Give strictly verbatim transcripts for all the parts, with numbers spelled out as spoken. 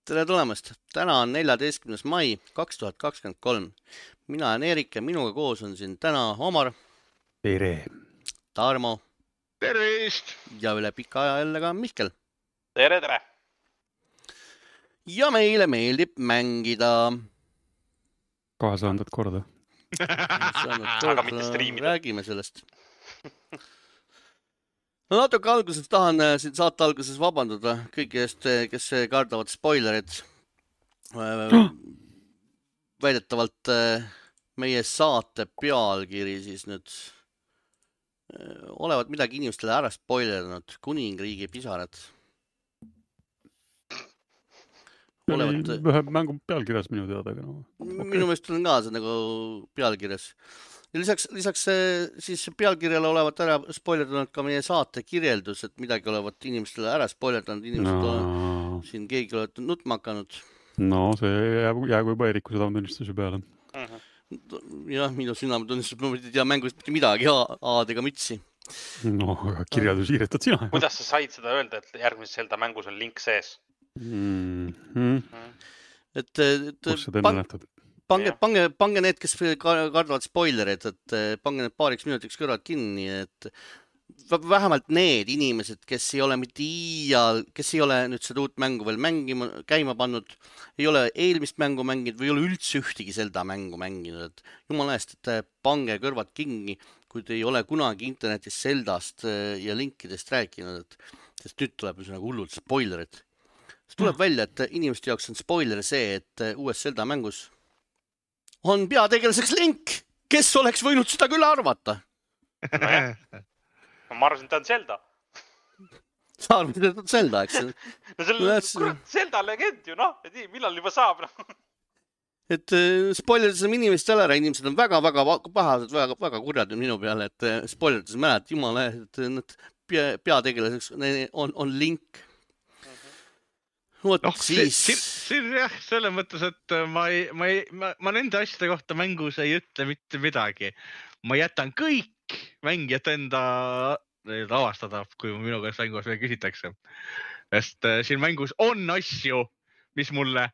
Tere tulemast! Täna on neljateistkümnes mai kaks tuhat kakskümmend kolm. Mina olen Eerik ja minuga koos on siin täna Omar, Tere. Tarmo Tervist! ja üle pika aja jälle ka Mihkel. Tere, tere! Ja meile meeldib mängida. Kahesajandat korda. Aga mitte striimida. Räägime sellest. No natuke alguses tahan siin saate alguses vabandada kõigi eest, kes kardavad spoilerid. Väidetavalt meie saate pealkiri siis nüüd olevat midagi inimestele ära spoileranud. Kuningriigi pisarad. Olevat... Ühe mängu pealkirjas minu teada. No. Okay. Minu meelest on ka see nagu pealkirjas. Ja lisaks, lisaks siis pealkirjale olevat ära spoilerdanud ka meie saate kirjeldus, et midagi olevat inimestele ära spoilerdanud. Inimesed no. on siin keegi olevat nutma hakanud. No see jäägu, jäägu juba Eeriku südametunnistuse peale. Uh-huh. Jah, minu südametunnistus, ma ei tea mängust mitte midagi, A-dega mütsi. No, aga kirjeldus hiiretad sina. Kuidas sa said seda öelda, et järgmises Zelda mängus on link sees? Mm-hmm. Et, et kus seda enne nähtad? Pange, pange, pange need, kes kardavad spoilerid, et pange need paariks minutiks kõrvad kinni, et vähemalt need inimesed, kes ei ole mitte iial, kes ei ole nüüd seda uut mängu veel mängima, käima pannud, ei ole eelmist mängu mänginud või ei ole üldse ühtegi Zelda mängu mänginud, et jumala eest, et pange kõrvad kinni, kui te ei ole kunagi internetis Zeldast ja linkidest rääkinud, et sest nüüd tuleb nagu hullult spoilerid. See tuleb välja, et inimeste jaoks on spoiler see, et uues Zelda mängus on peategelaseks Link, kes oleks võinud seda küll arvata. No jah. Ma arvasin, et ta on Zelda. Sa arvasid, et on Zelda, eks? No selle kurat Zelda legend ju, noh, et millal juba saab. No. Et spoileridasime inimest ära, inimesed on väga-väga pahased, väga, väga kurjad minu peale, et spoileridasime ära, et jumala, et need peategelaseks on, on Link. Võt, no, siis... siin, siin jah, selles mõttes, et ma, ei, ma, ei, ma, ma nende asjade kohta mängus ei ütle mitte midagi. Ma jätan kõik mängijad enda avastada, kui minu käest mängus veel küsitakse. Sest siin mängus on asju, mis mulle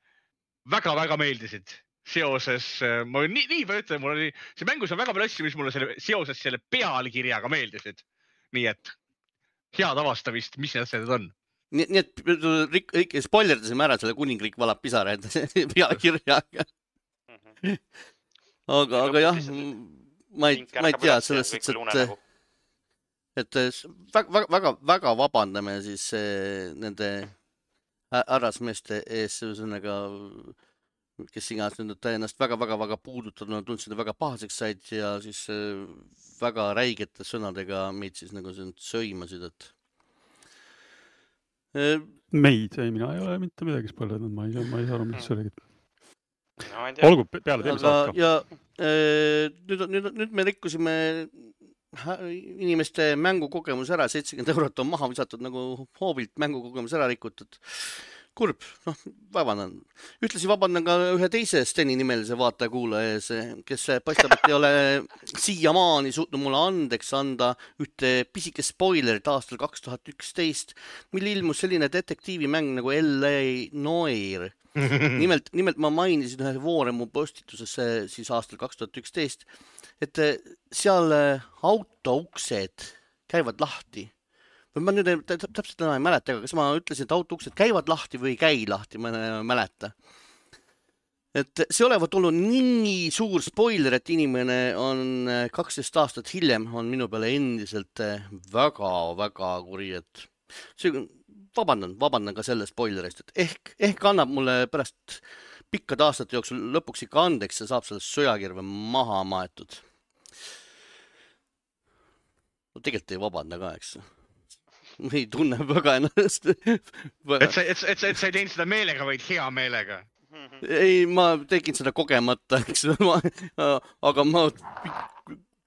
väga-väga meeldisid. Seoses, ma nii, nii palju ütlen, mul oli, see mängus on väga palju asju, mis mulle selle, seoses selle pealkirjaga meeldisid. Nii et head avastamist, mis need asjad on. Nii, nii et rik, spoilerdasime ära selle kuningriik valab pisaraid pealkirjaga. Aga, aga jah, ma ei, ma ei tea sellest, et, et väga, väga, väga vabandame siis nende härrasmeeste ees, ühesõnaga, kes iganes nüüd ennast väga, väga, väga puudutanud, tundsid väga pahaseks said ja siis väga räigete sõnadega meid siis nagu söimasid, et meid, ei, mina ei ole mitte midagi spoilernud, ma ei saa, ma ei saa aru, mis see oli. No, olgu, peale teeme saat ka. Ja nüüd, nüüd, nüüd me rikkusime inimeste mängukogemus ära, seitsekümmend eurot on maha visatud nagu hoovilt mängukogemus ära rikutud. Kurb, noh, vabandan. Ühtlasi vabandan ka ühe teise Steni nimelise vaataja kuulaja ees, kes paistab, et ei ole siiamaani suutnud mulle andeks anda ühte pisike spoilerit aastal kaks tuhat üksteist, mille ilmus selline detektiivimäng nagu L A Noir. Nimelt, nimelt ma mainisin ühe Vooremu postituses siis aastal kaks tuhat üksteist, et seal autouksed käivad lahti. Ma nüüd täpselt enam ei mäleta, aga kas ma ütlesin, et autouksed käivad lahti või ei käi lahti, ma ei mäleta. Et see olevat olnud nii suur spoiler, et inimene on kaksteist aastat hiljem on minu peale endiselt väga, väga kuri, et see, vabandan, vabandan ka selle spoilerist, et ehk, ehk annab mulle pärast pikkade aastate jooksul lõpuks ikka andeks ja saab sellest söjakirve maha maetud. No tegelikult ei vabanda ka, eks. Ma ei tunne väga ennast. Et sa, et, et, et sa ei teinud seda meelega, vaid hea meelega. Ei, ma tegin seda kogemata, eks. Ma, aga ma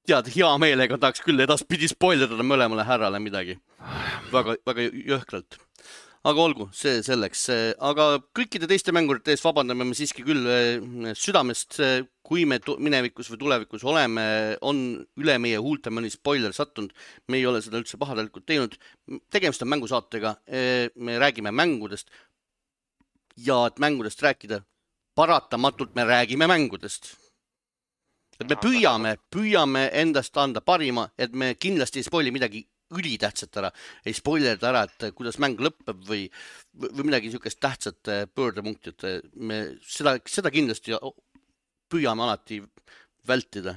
tead, hea meelega tahaks küll edaspidi spoilerada mõlemale härrale midagi. Väga, väga jõhkralt. Aga olgu, see selleks. Aga kõikide teiste mängurite ees vabandame me siiski küll südamest, kui me minevikus või tulevikus oleme, on üle meie huulte mõni spoiler sattunud. Me ei ole seda üldse pahadelikult teinud. Tegemist on mängusaatega. Me räägime mängudest. ja et mängudest rääkida, paratamatult me räägime mängudest. Et me püüame, püüame endast anda parima, et me kindlasti ei spoili midagi ülitähtsat ära, ei spoilerda ära, et kuidas mäng lõpeb või, või midagi niisugust tähtsat pöördepunkti, et me seda, seda kindlasti püüame alati vältida.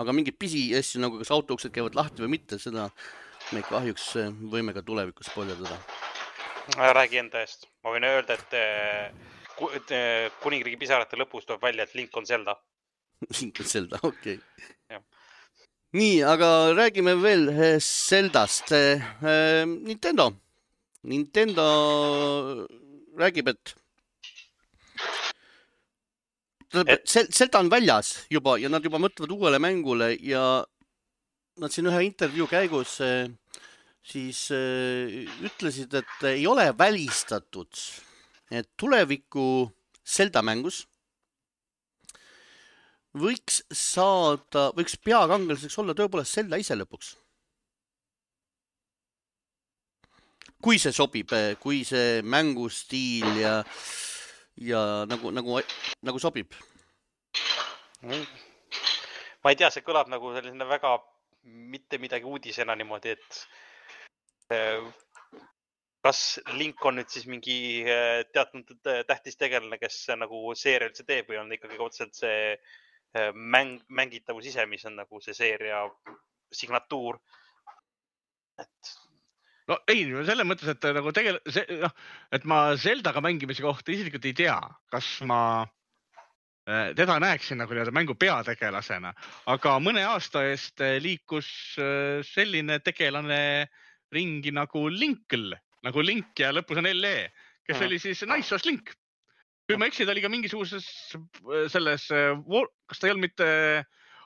Aga mingid pisi asju, nagu kas autouksed käivad lahti või mitte, seda me kahjuks võime ka tulevikus spoilerdada. Räägi enda eest. Ma võin öelda, et Kuningriigi pisarate lõpus tuleb välja, et Link on Zelda. Link on Zelda, okei. Okay. Nii, aga räägime veel Zeldast. Nintendo. Nintendo räägib, et Zelda on väljas juba ja nad juba mõtlevad uuele mängule ja nad siin ühe intervjuu käigus siis ütlesid, et ei ole välistatud, et tuleviku Zelda mängus võiks saada, võiks peakangelaseks olla tõepoolest Zelda ise lõpuks. Kui see sobib, kui see mängustiil ja, ja nagu, nagu, nagu sobib. Ma ei tea, see kõlab nagu selline väga mitte midagi uudisena niimoodi, et kas Link on nüüd siis mingi teatud tähtis tegelane, kes nagu seeria üldse teeb või on ikkagi otseselt see mäng, mängitavus ise, mis on nagu see seeria signatuur. Et... No ei, selle mõttes, et nagu tegel... see, no, et ma Zeldaga mängimise kohta isiklikult ei tea, kas ma teda näeksin nagu mängu peategelasena, aga mõne aasta eest liikus selline tegelane ringi nagu Linkl, nagu Link ja lõpus on L E, kes oli siis Naissoos Link. Kui ma eksin, ta oli ka mingisuguses selles, kas ta ei olnud mitte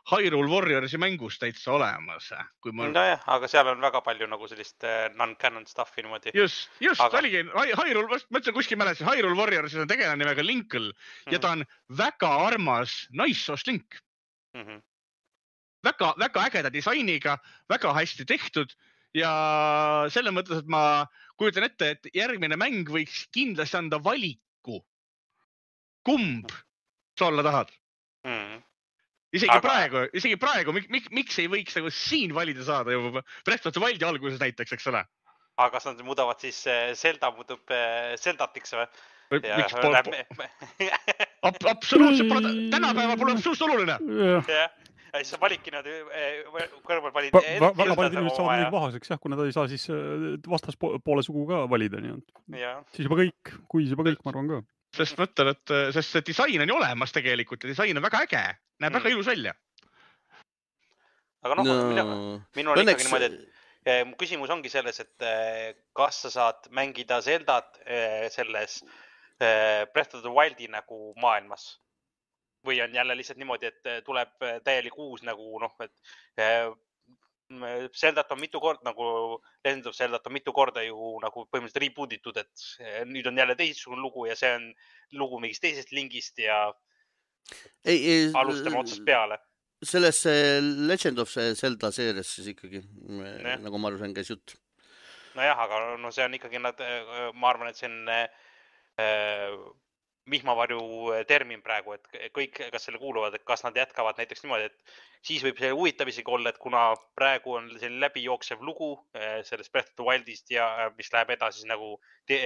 Hyrule Warriorsi mängus täitsa olemas. Kui ma... No jah, aga seal on väga palju nagu sellist non-canon stuffi niimoodi. Just, just, aga... oligi Hyrule, ma ütlen kuskil mälesin, Hyrule Warriorsis on tegelane nimega Linkl mm-hmm. ja ta on väga armas Naissoos Link. Mm-hmm. Väga, väga ägeda disainiga, väga hästi tehtud ja selle mõttes, et ma kujutan ette, et järgmine mäng võiks kindlasti anda valiku. Kumb sa olla tahad? Mm-hmm. Isegi aga... praegu, isegi praegu, mik, mik, miks ei võiks nagu siin valida saada juba Breath of the Wildi alguses näiteks, eks ole? Aga kas nad muudavad siis Zelda muutub Zeldatiks või? Ja, miks pole... Ab, absoluutselt pole, tänapäeval pole absoluutselt oluline. Ja, ja siis sa validki nad kõrval valid... Va, va, väga paljud inimesed saavad midagi pahaseks, jah, kuna ta ei saa siis vastaspoole sugu ka valida. Nii ja. Siis juba kõik, kui siis juba kõik, ma arvan ka. Sest mõtlen, et sest see disain on ju olemas tegelikult ja disain on väga äge. Näeb mm. väga ilus välja. Aga noh, no. minu, minu on ikkagi niimoodi, et mu küsimus ongi selles, et kas sa saad mängida Zeldat selles Breath of the Wildi nagu maailmas? Või on jälle lihtsalt niimoodi, et tuleb täielik uus nagu noh, et Zeldat on mitu korda, nagu Legend of Zeldat on mitu korda ju nagu põhimõtteliselt rebootitud, et nüüd on jälle teistsugune lugu ja see on lugu mingist teisest Linkist ja ei, ei, alustame otsast peale. Selles Legend of Zelda seerias siis ikkagi, ja. Nagu ma aru sain, käis jutt. Nojah, aga no see on ikkagi, nad, ma arvan, et see on äh, vihmavarju termin praegu, et kõik, kas selle kuuluvad, et kas nad jätkavad näiteks niimoodi, et siis võib see huvitav isegi olla, et kuna praegu on selline läbijooksev lugu sellest Breath of the Wildist ja mis läheb edasi nagu, te,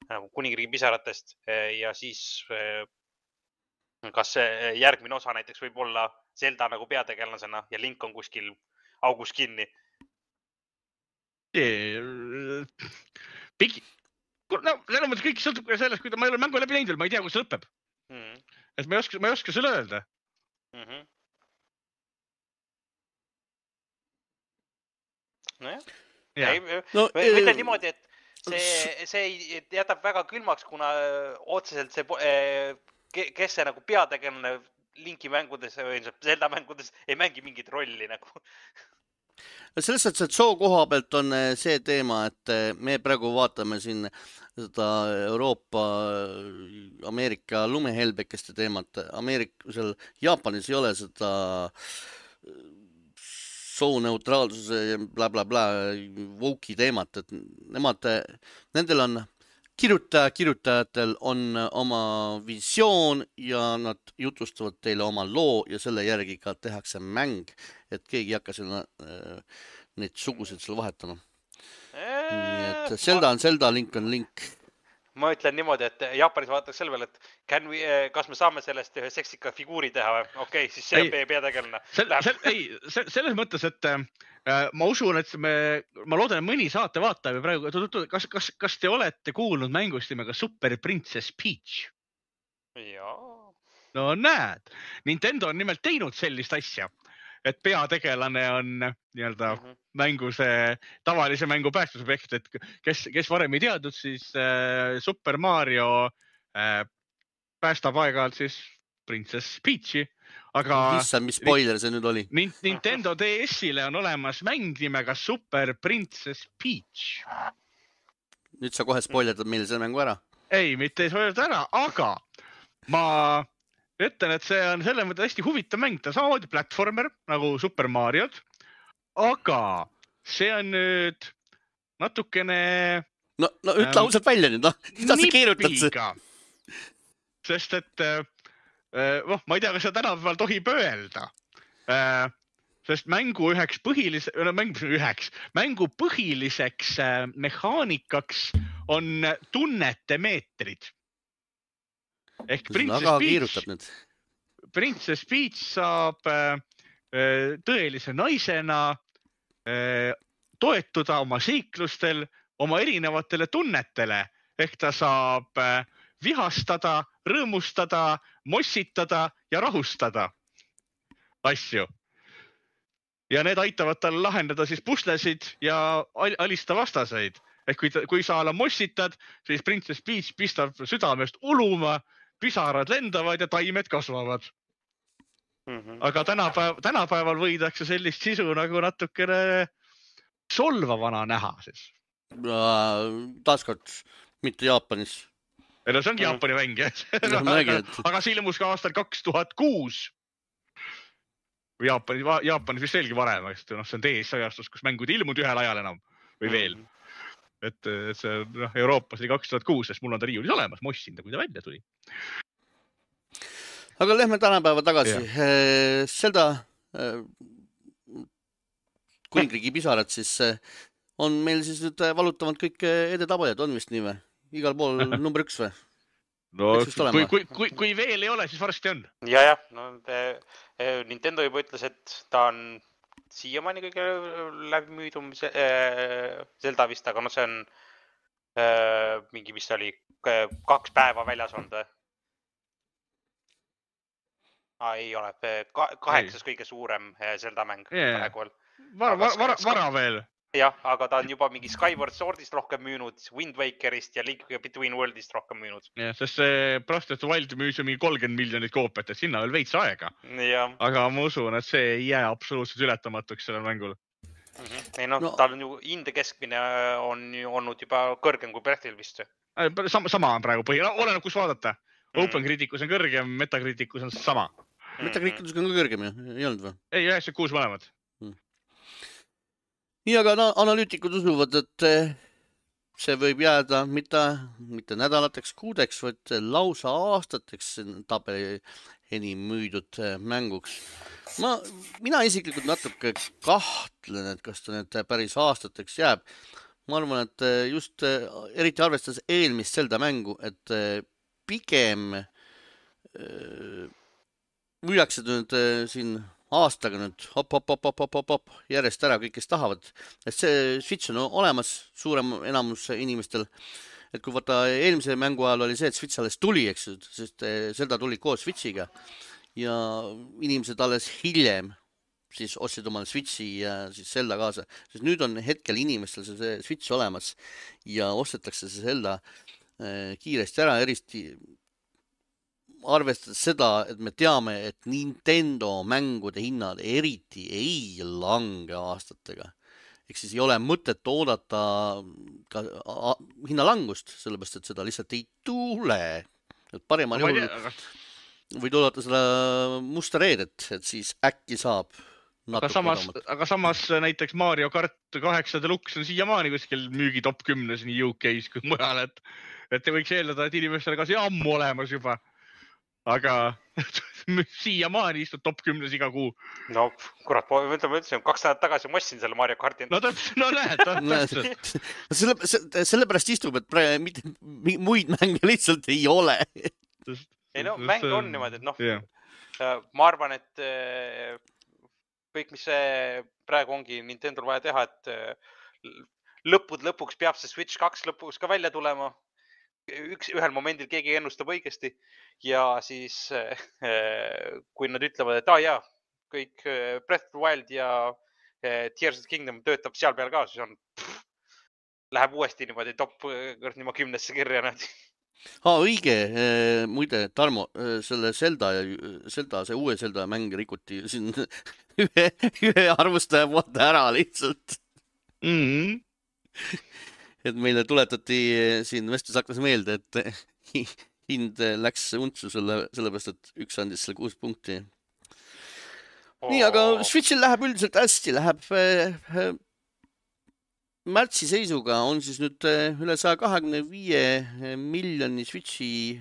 nagu Kuningriigi pisaratest ja siis kas see järgmine osa näiteks võib olla Zelda nagu peategelasena ja Link on kuskil augus kinni? Pigi. No, selles mõttes kõik sõltub sellest, kui ta, ma ei ole mängu läbi näinud veel, ma ei tea, kus see lõpeb. Mm. Et ma ei oska, ma ei oska selle öelda. Mm-hmm. Nojah. Ja. Ei, no, mitte äh... niimoodi, et see, see jätab väga külmaks, kuna otseselt see, kes see nagu peategelane Linki mängudes või Zelda mängudes ei mängi mingit rolli nagu. Selles mõttes, et soo koha pealt on see teema, et me praegu vaatame siin seda Euroopa, Ameerika lumehelbekeste teemat. Ameerika, seal Jaapanis ei ole seda sooneutraalsuse ja bla bla bla woke'i teemat, et nemad, nendel on kirjutaja, kirjutajatel on oma visioon ja nad jutustavad teile oma loo ja selle järgi ka tehakse mäng, et keegi ei hakka selle, neid suguseid seal vahetama. Nii et Zelda on Zelda, Link on Link. Ma ütlen niimoodi, et Jaapanis vaadatakse selle peale, et can we, kas me saame sellest ühe seksika figuuri teha või? Okei, okay, siis see on peategelane. Sel, sel, ei, selles mõttes, et äh, ma usun, et me, ma loodan, et mõni saate vaataja praegu, kas, kas, kas te olete kuulnud mängust nimega Super Princess Peach? Jaa. No näed, Nintendo on nimelt teinud sellist asja, et peategelane on nii-öelda mm -hmm. mängu see tavalise mängu päästusobjekt, et kes, kes varem ei teadnud, siis äh, Super Mario äh, päästab aeg-ajalt siis Princess Peachi, aga Issa, mis spoiler see nüüd oli? Nintendo D S-ile on olemas mäng nimega Super Princess Peach. Nüüd sa kohe spoilerdad meile selle mängu ära? Ei, mitte ei spoilerdad ära, aga ma ütlen, et see on selle mõtte hästi huvitav mäng, ta samamoodi platformer nagu Super Mariod, aga see on nüüd natukene... No, no ütle ähm, ausalt välja nüüd, no, mida sa keerutad see? Sest et, äh, oh, ma ei tea, kas seda tänapäeval tohib öelda, äh, sest mängu üheks põhilise, no, mängu, üheks, mängu põhiliseks äh, mehaanikaks on tunnete meetrid. Ehk Princess Peach, Princess Peach saab äh, tõelise naisena äh, toetuda oma seiklustel oma erinevatele tunnetele. Ehk ta saab äh, vihastada, rõõmustada, mossitada ja rahustada asju. Ja need aitavad tal lahendada siis puslesid ja alista vastaseid. Ehk kui, ta, kui sa ala mossitad, siis Princess Peach pistab südamest uluma, pisarad lendavad ja taimed kasvavad. Mm-hmm. Aga tänapäev, tänapäeval võidakse sellist sisu nagu natukene solvavana näha siis. Taaskord, mitte Jaapanis. No see ongi mm. Jaapani mäng, jah. No, aga, aga see ilmus ka aastal kaks tuhat kuus. Jaapanis, Jaapanis vist veelgi varem, sest no, see on D S-ajastus, kus mängud ilmunud ühel ajal enam või veel. Mm. Et see no, Euroopas oli kaks tuhat kuus, sest mul on ta riiulis olemas, ma ossin ta, kui ta välja tuli. Aga lähme tänapäeva tagasi. Zelda kuningriigi pisarad siis on meil siis nüüd valutavalt kõik edetabajad, on vist nii või? Igal pool number üks või? No, kui, kui, kui, kui veel ei ole, siis varsti on. Ja, ja. No, Nintendo juba ütles, et ta on siiamaani kõige läbimüüdum Zelda vist, aga no see on äh, mingi, mis oli kaks päeva väljas olnud. Ah, ei ole, kaheksas ei. Kõige suurem Zelda mäng. Yeah. Vara, vara, vara, vara veel. Jah, aga ta on juba mingi Skyward Swordist rohkem müünud, Wind Wakerist ja Link Between Worldist rohkem müünud. Ja, sest see Breath of the Wild müüs ju mingi kolmkümmend miljonit koopiat, et sinna veel veits aega. Ja. Aga ma usun, et see ei jää absoluutselt ületamatuks sellel mängul. Mm-hmm. Ei no, no, tal on ju inde keskmine on ju olnud juba kõrgem kui Breathil vist. Sama, sama on praegu põhi, no, oleneb kus vaadata. Mm. Open Criticus on kõrgem, Metacriticus on sama. Metacriticus on ka kõrgem ju, ei olnud või? Ei, üheksakümmend kuus mõlemad. Nii, aga no, analüütikud usuvad, et see võib jääda mitte, mitte nädalateks, kuudeks, vaid lausa aastateks tabeli enim müüdud mänguks. Ma, mina isiklikult natuke kahtlen, et kas ta nüüd päris aastateks jääb. Ma arvan, et just eriti arvestades eelmist Zelda mängu, et pigem müüakse nüüd siin aastaga nüüd hop, hop, hop, hop, hop, hop, hop, järjest ära kõik, kes tahavad. Et see Switch on olemas suurem enamus inimestel. Et kui vaata eelmise mängu ajal oli see, et Switch alles tuli, eks, sest Zelda tuli koos Switchiga ja inimesed alles hiljem siis ostsid omale Switchi ja siis Zelda kaasa. Sest nüüd on hetkel inimestel see Switch olemas ja ostetakse see Zelda kiiresti ära, eristi arvestades seda, et me teame, et Nintendo mängude hinnad eriti ei lange aastatega. Ehk siis ei ole mõtet oodata ka hinnalangust, sellepärast, et seda lihtsalt ei tule. Et paremal juhul võid oodata seda musta reedet, et siis äkki saab aga samas, aga samas näiteks Mario Kart kaheksa Deluxe on siiamaani kuskil müügi top kümnes nii U K-s kui mujal, et, et te võiks eeldada, et inimestel kas ammu olemas juba, aga siiamaani istud top kümnes iga kuu. No kurat, ma ütlesin, kaks näedat tagasi ma ostsin selle Mario Karti. No täpselt, no näed, täpselt. Selle, sellepärast istub, et praegu mitte muid mänge lihtsalt ei ole. Ei no, mäng on niimoodi, et noh, yeah. Ma arvan, et kõik, mis see praegu ongi Nintendol vaja teha, et lõpud lõpuks peab see Switch kaks lõpuks ka välja tulema. Üks, ühel momendil keegi ennustab õigesti ja siis kui nad ütlevad, et ah, jaa, kõik Breath of the Wild ja Tears of the Kingdom töötab seal peal ka, siis on, pff, läheb uuesti niimoodi top nima kümnesse kirja. Aa, õige, muide, Tarmo, selle Zelda, Zelda, see uue Zelda mäng rikuti siin ühe, ühe arvustaja vaata ära lihtsalt. Mhm. Et meile tuletati siin vestlusaknas meelde, et hind läks untsu selle, sellepärast, et üks andis selle kuus punkti. Oh. Nii, aga Switchil läheb üldiselt hästi, läheb äh, märtsi seisuga on siis nüüd üle saja kahekümne viie miljoni Switchi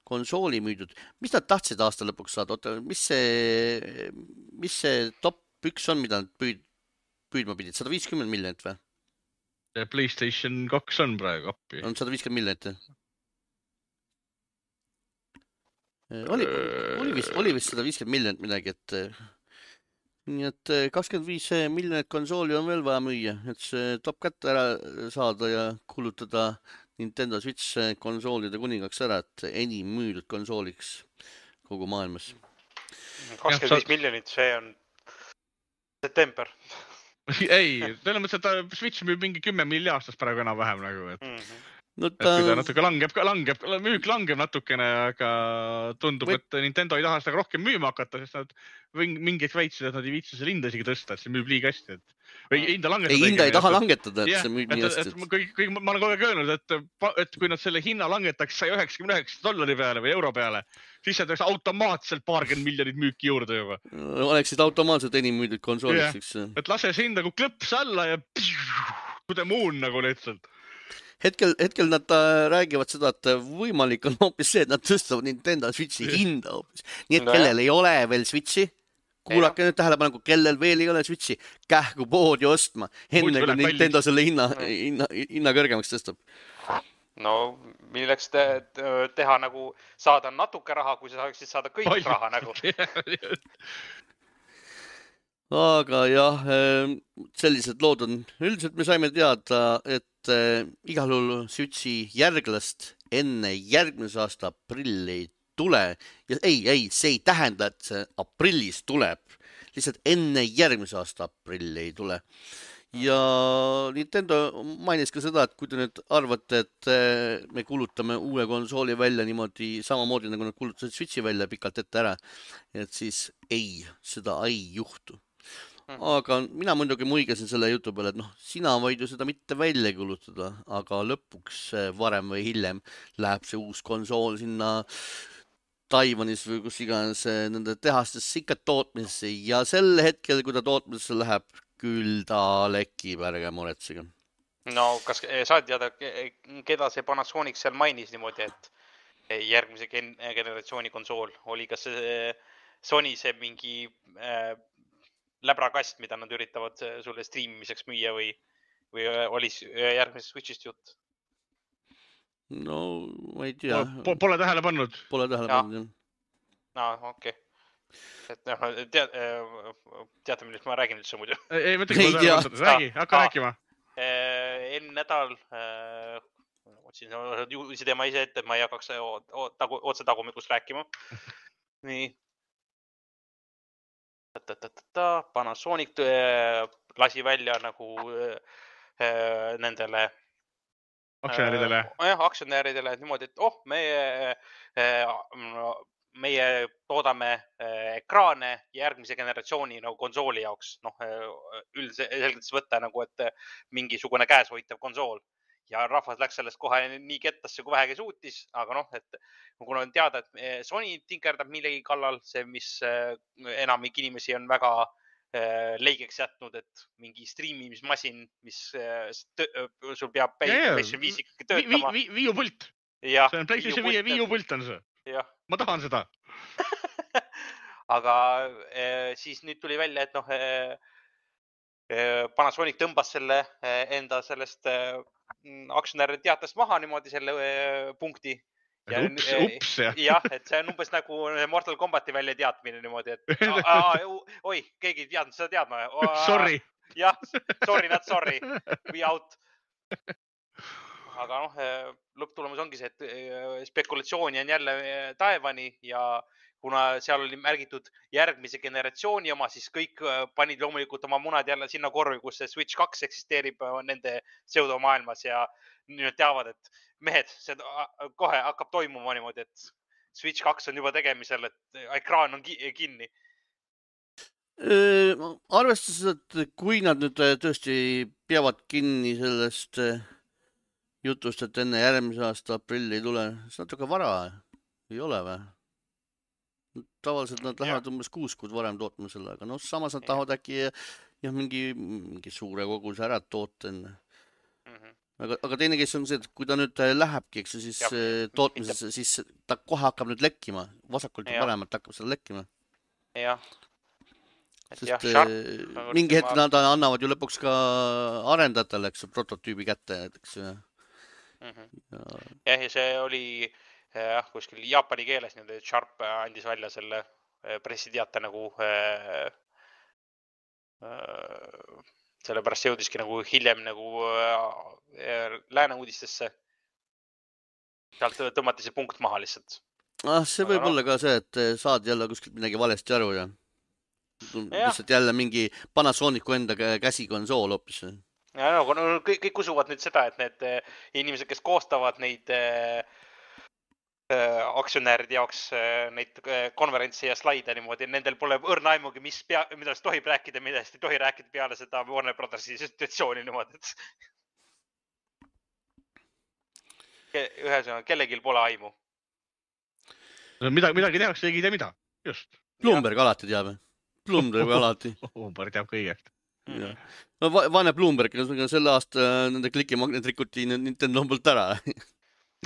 konsooli müüdud. Mis nad tahtsid aasta lõpuks saada? Oota, mis see, mis see top üks on, mida nad püüd, püüdma pidid? sada viiskümmend miljonit või? PlayStation kaks on praegu appi. On sada viiskümmend miljonit. Oli, oli vist, oli vist sada viiskümmend miljonit midagi, et nii et kakskümmend viis miljonit konsooli on veel vaja müüa, et see top kätte ära saada ja kulutada Nintendo Switch konsoolide kuningaks ära, et enim müüdud konsooliks kogu maailmas. kakskümmend viis miljonit, see on september. Ei, selle mõttes, et Switch müüb mingi kümme milli aastas praegu enam vähem nagu, et, mm-hmm. no, ta... et kui ta natuke langeb, langeb, müük langeb natukene, aga tundub, Või... et Nintendo ei taha seda rohkem müüma hakata, sest nad mingiks väitsid, et nad ei viitsi selle hinda isegi tõsta, et see müüb liiga hästi. Et... Või hinda langetada. Ei, hinda ei taha langetada, et yeah, see müüb nii hästi. Et, et, kõik, kõik, ma olen kogu aeg öelnud, et, et kui nad selle hinna langetaks saja üheksakümne üheksa dollari peale või euro peale, siis see tuleks automaatselt paarkümmend miljonit müüki juurde juba. Oleksid automaatselt enim müüdud konsooliks. Yeah. Et lase see hind nagu klõps alla ja kude muun nagu lihtsalt. Hetkel, hetkel nad räägivad seda, et võimalik on hoopis see, et nad tõstavad Nintendo Switchi hinda hoopis. Nii et kellel ei ole veel Switchi, kuulake nüüd tähelepaneku, kellel veel ei ole Switchi, kähku poodi ostma, enne kui Nintendo kallis. Selle hinna, hinna, hinna kõrgemaks tõstab. No, milleks te, teha nagu saada natuke raha, kui sa saaksid saada kõik Oi. Raha nagu. Aga jah, sellised lood on. Üldiselt me saime teada, et igal juhul Switchi järglast enne järgmise aasta aprilli ei tule. Ja ei, ei, see ei tähenda, et see aprillis tuleb. Lihtsalt enne järgmise aasta aprilli ei tule. Ja Nintendo mainis ka seda, et kui te nüüd arvate, et me kulutame uue konsooli välja niimoodi samamoodi, nagu nad kulutasid Switchi välja pikalt ette ära, et siis ei, seda ei juhtu. Aga mina muidugi muigasin selle jutu peale, et noh, sina võid ju seda mitte välja kulutada, aga lõpuks varem või hiljem läheb see uus konsool sinna Taiwanis või kus iganes nende tehastesse ikka tootmisesse ja sel hetkel, kui ta tootmisesse läheb, küll ta lekib, ärge muretsege. No, kas saad teada, keda see Panasonic seal mainis niimoodi, et järgmise generatsiooni konsool oli, kas see Sony see mingi äh, läbrakast, mida nad üritavad sulle streamimiseks müüa või, või oli järgmisest Switchist jutt? No, ma ei tea. Pole, pole tähele pannud. Pole tähele pannud, jah. No, okei. Okay. Et noh, tead, teate, millest ma räägin üldse muidu? Ei, mõtle, kui ma tähele pannud. Räägi, hakka rääkima. Enne nädal, otsin juhisi teema ise ette, et ma ei hakkaks otse tagumikust rääkima. Nii. Panasonic lasi välja nagu nendele aktsionäridele. Jah, aktsionäridele niimoodi, et oh, meie, meie toodame ekraane järgmise generatsiooni nagu konsooli jaoks. Noh, üldiselt võtta nagu, et mingisugune käeshoitav konsool. Ja rahvas läks sellest kohe nii kettasse, kui vähegi suutis, aga noh, et kuna on teada, et Sony tinkerdab millegi kallal, see, mis enamik inimesi on väga leigeks jätnud, et mingi striimimismasin, mis sul peab PlayStation viis ikkagi töötama. Viiupult. See on PlayStation viie viiupult on see. Ma tahan seda. Aga siis nüüd tuli välja, et noh, Panasonic tõmbas selle enda sellest aktsionäride teatest maha niimoodi selle punkti. Ja, ups, ups, jah. jah, et see on umbes nagu Mortal Kombati välja teatmine niimoodi, et a, a, oi, keegi ei teadnud seda teadma. Sorry. Jah, sorry, not sorry. We out. Aga noh, lõpptulemus ongi see, et spekulatsiooni on jälle taevani ja kuna seal oli märgitud järgmise generatsiooni oma, siis kõik panid loomulikult oma munad jälle sinna korvi, kus see Switch kaks eksisteerib nende pseudomaailmas ja nüüd teavad, et mehed, see kohe hakkab toimuma niimoodi, et Switch kaks on juba tegemisel, et ekraan on kinni. Arvestades, et kui nad nüüd tõesti peavad kinni sellest jutust, et enne järgmise aasta aprilli ei tule, siis natuke vara ei ole või? Tavaliselt nad lähevad umbes kuus kuud varem tootma selle, aga noh, samas nad tahavad äkki jah, mingi, mingi suure koguse ära toota enne. Mm-hmm. Aga, aga teine kes on see, et kui ta nüüd lähebki, eks siis ja, tootmises, mitte... siis ta kohe hakkab nüüd lekkima. Vasakult ja paremalt hakkab seda lekkima. Jah. Sest jah, sharp, mingi hetk ma... nad annavad ju lõpuks ka arendajatele, eks prototüübi kätte, eks. Mm-hmm. Ja... jah, ja see oli jah, kuskil jaapani keeles nüüd, et Sharp andis välja selle pressiteate nagu äh, äh, sellepärast see jõudiski nagu hiljem nagu äh, lääne uudistesse. Sealt tõmmati see punkt maha lihtsalt. Ah, see võib Aga olla no... ka see, et saad jälle kuskilt midagi valesti aru ja lihtsalt jälle mingi Panasonicu enda käsikonsool hoopis. Ja no, kõik, kõik usuvad nüüd seda, et need inimesed, kes koostavad neid aktsionäride jaoks neid konverentsi ja slaide niimoodi, nendel pole õrna aimugi, mis pea, mida siis tohib rääkida, mida siis ei tohi rääkida peale seda Warner Brothersi situatsiooni niimoodi, et ühesõnaga, kellegil pole aimu. Midagi, midagi tehakse, keegi ei tea mida, just. Bloomberg ja. Alati teab, Bloomberg alati. Bloomberg teab kõigest. Ja. No, vaene Bloomberg, selle aasta nende klikimagnet rikuti Nintendo poolt ära.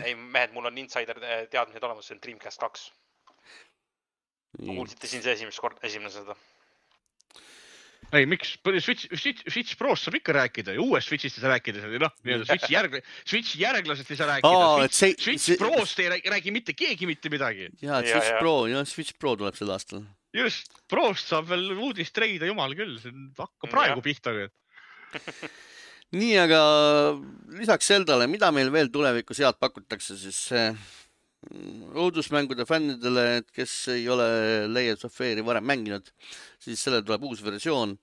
Ei, mehed, mul on insider teadmised olemas, see on Dreamcast kaks. Ma kuulsite siin see esimest kord, esimene seda. Ei, miks? Switch, Switch, Switch Prost saab ikka rääkida ja uuest Switchist ei saa rääkida. No, Switch, järg, Switch järglasest ei saa rääkida. Aa, Switch, see, Switch see... Prost ei räägi mitte keegi mitte midagi. Ja, Switch ja, Pro, ja, Switch Pro tuleb sel aastal. Just, Prost saab veel uudist treida, jumal küll. See hakka praegu ja. Pihta. Nii, aga lisaks Zeldale, mida meil veel tulevikus head pakutakse, siis õudusmängude fännidele, et kes ei ole Layers of Fear'i varem mänginud, siis selle tuleb uus versioon.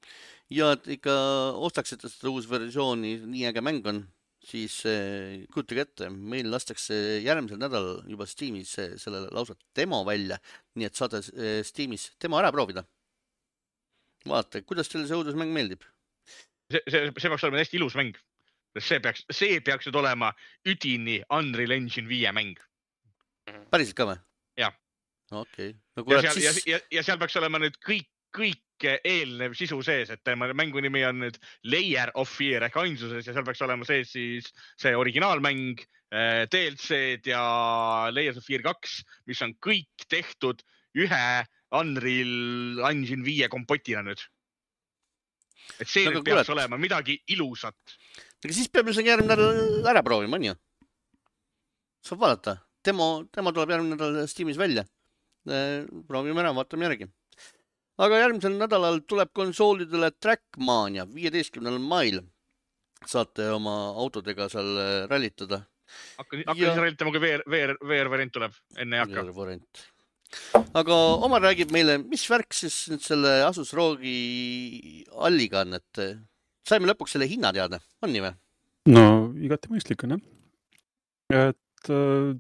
Ja et ikka ostaksite seda uus versiooni, nii äge mäng on, siis kujutage ette, meil lastakse järgmisel nädal juba Steamis selle lausa demo välja, nii et saate Steamis demo ära proovida. Vaata, kuidas teile see õudusmäng meeldib? See, see, see peaks olema hästi ilus mäng. See peaks, see peaks nüüd olema üdini Unreal Engine viie mäng. Päriselt ka või? Jah. Okei. Okay. No, ja, seal, siis... ja, ja seal peaks olema nüüd kõik, kõik eelnev sisu sees, et mängu nimi on nüüd Layer of Fear ehk ainsuses ja seal peaks olema sees siis see originaalmäng, D L C-d ja Layers of Fear kaks, mis on kõik tehtud ühe Unreal Engine viie kompotina nüüd. Et see nüüd peaks kuulet. Olema midagi ilusat. Aga siis peab midagi järgmine nädal ära proovima, on ju? Saab vaadata. Demo, demo tuleb järgmine nädal Steamis välja. Proovime ära, vaatame järgi. Aga järgmisel nädalal tuleb konsoolidele Trackmania viieteistkümnendal mail. Saate oma autodega seal rallitada. Hakka, hakka ja... siis rallitama, kui VR, VR, VR variant tuleb, enne ei hakka. VR variant. Aga Omar räägib meile, mis värk siis nüüd selle Asus Rogi alliga on, et saime lõpuks selle hinna teada, on nii või? No, igati mõistlik on, jah. Et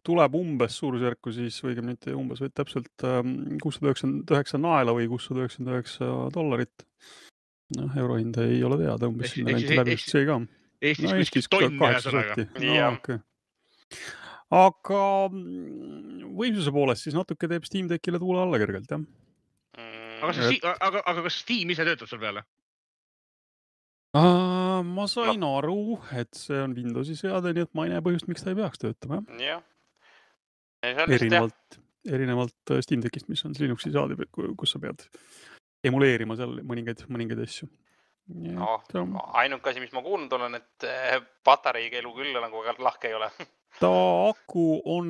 tuleb umbes suurusjärku siis, või õigemini umbes või täpselt kuussada üheksakümmend üheksa naela või kuussada üheksakümmend üheksa dollarit. No, eurohind ei ole teada, umbes sinna renti läbi see ka. Eestis no, Eestis tonn ühesõnaga. No, okay. Aga võimsuse poolest siis natuke teeb Steam Deckile tuule alla kergelt, jah? Mm, aga, see, aga, aga kas Steam ise töötab sul peale? Uh, ma sain no. aru, et see on Windowsi seade, nii et ma ei näe põhjust, miks ta ei peaks töötama. Jah. Erinevalt, erinevalt Steam Deckist, mis on Linuxi seade, kus sa pead emuleerima seal mõningaid, mõningaid asju. No, ainuke asi, mis ma kuulnud olen, et patareiga elu küll nagu väga lahke ei ole. Ta aku on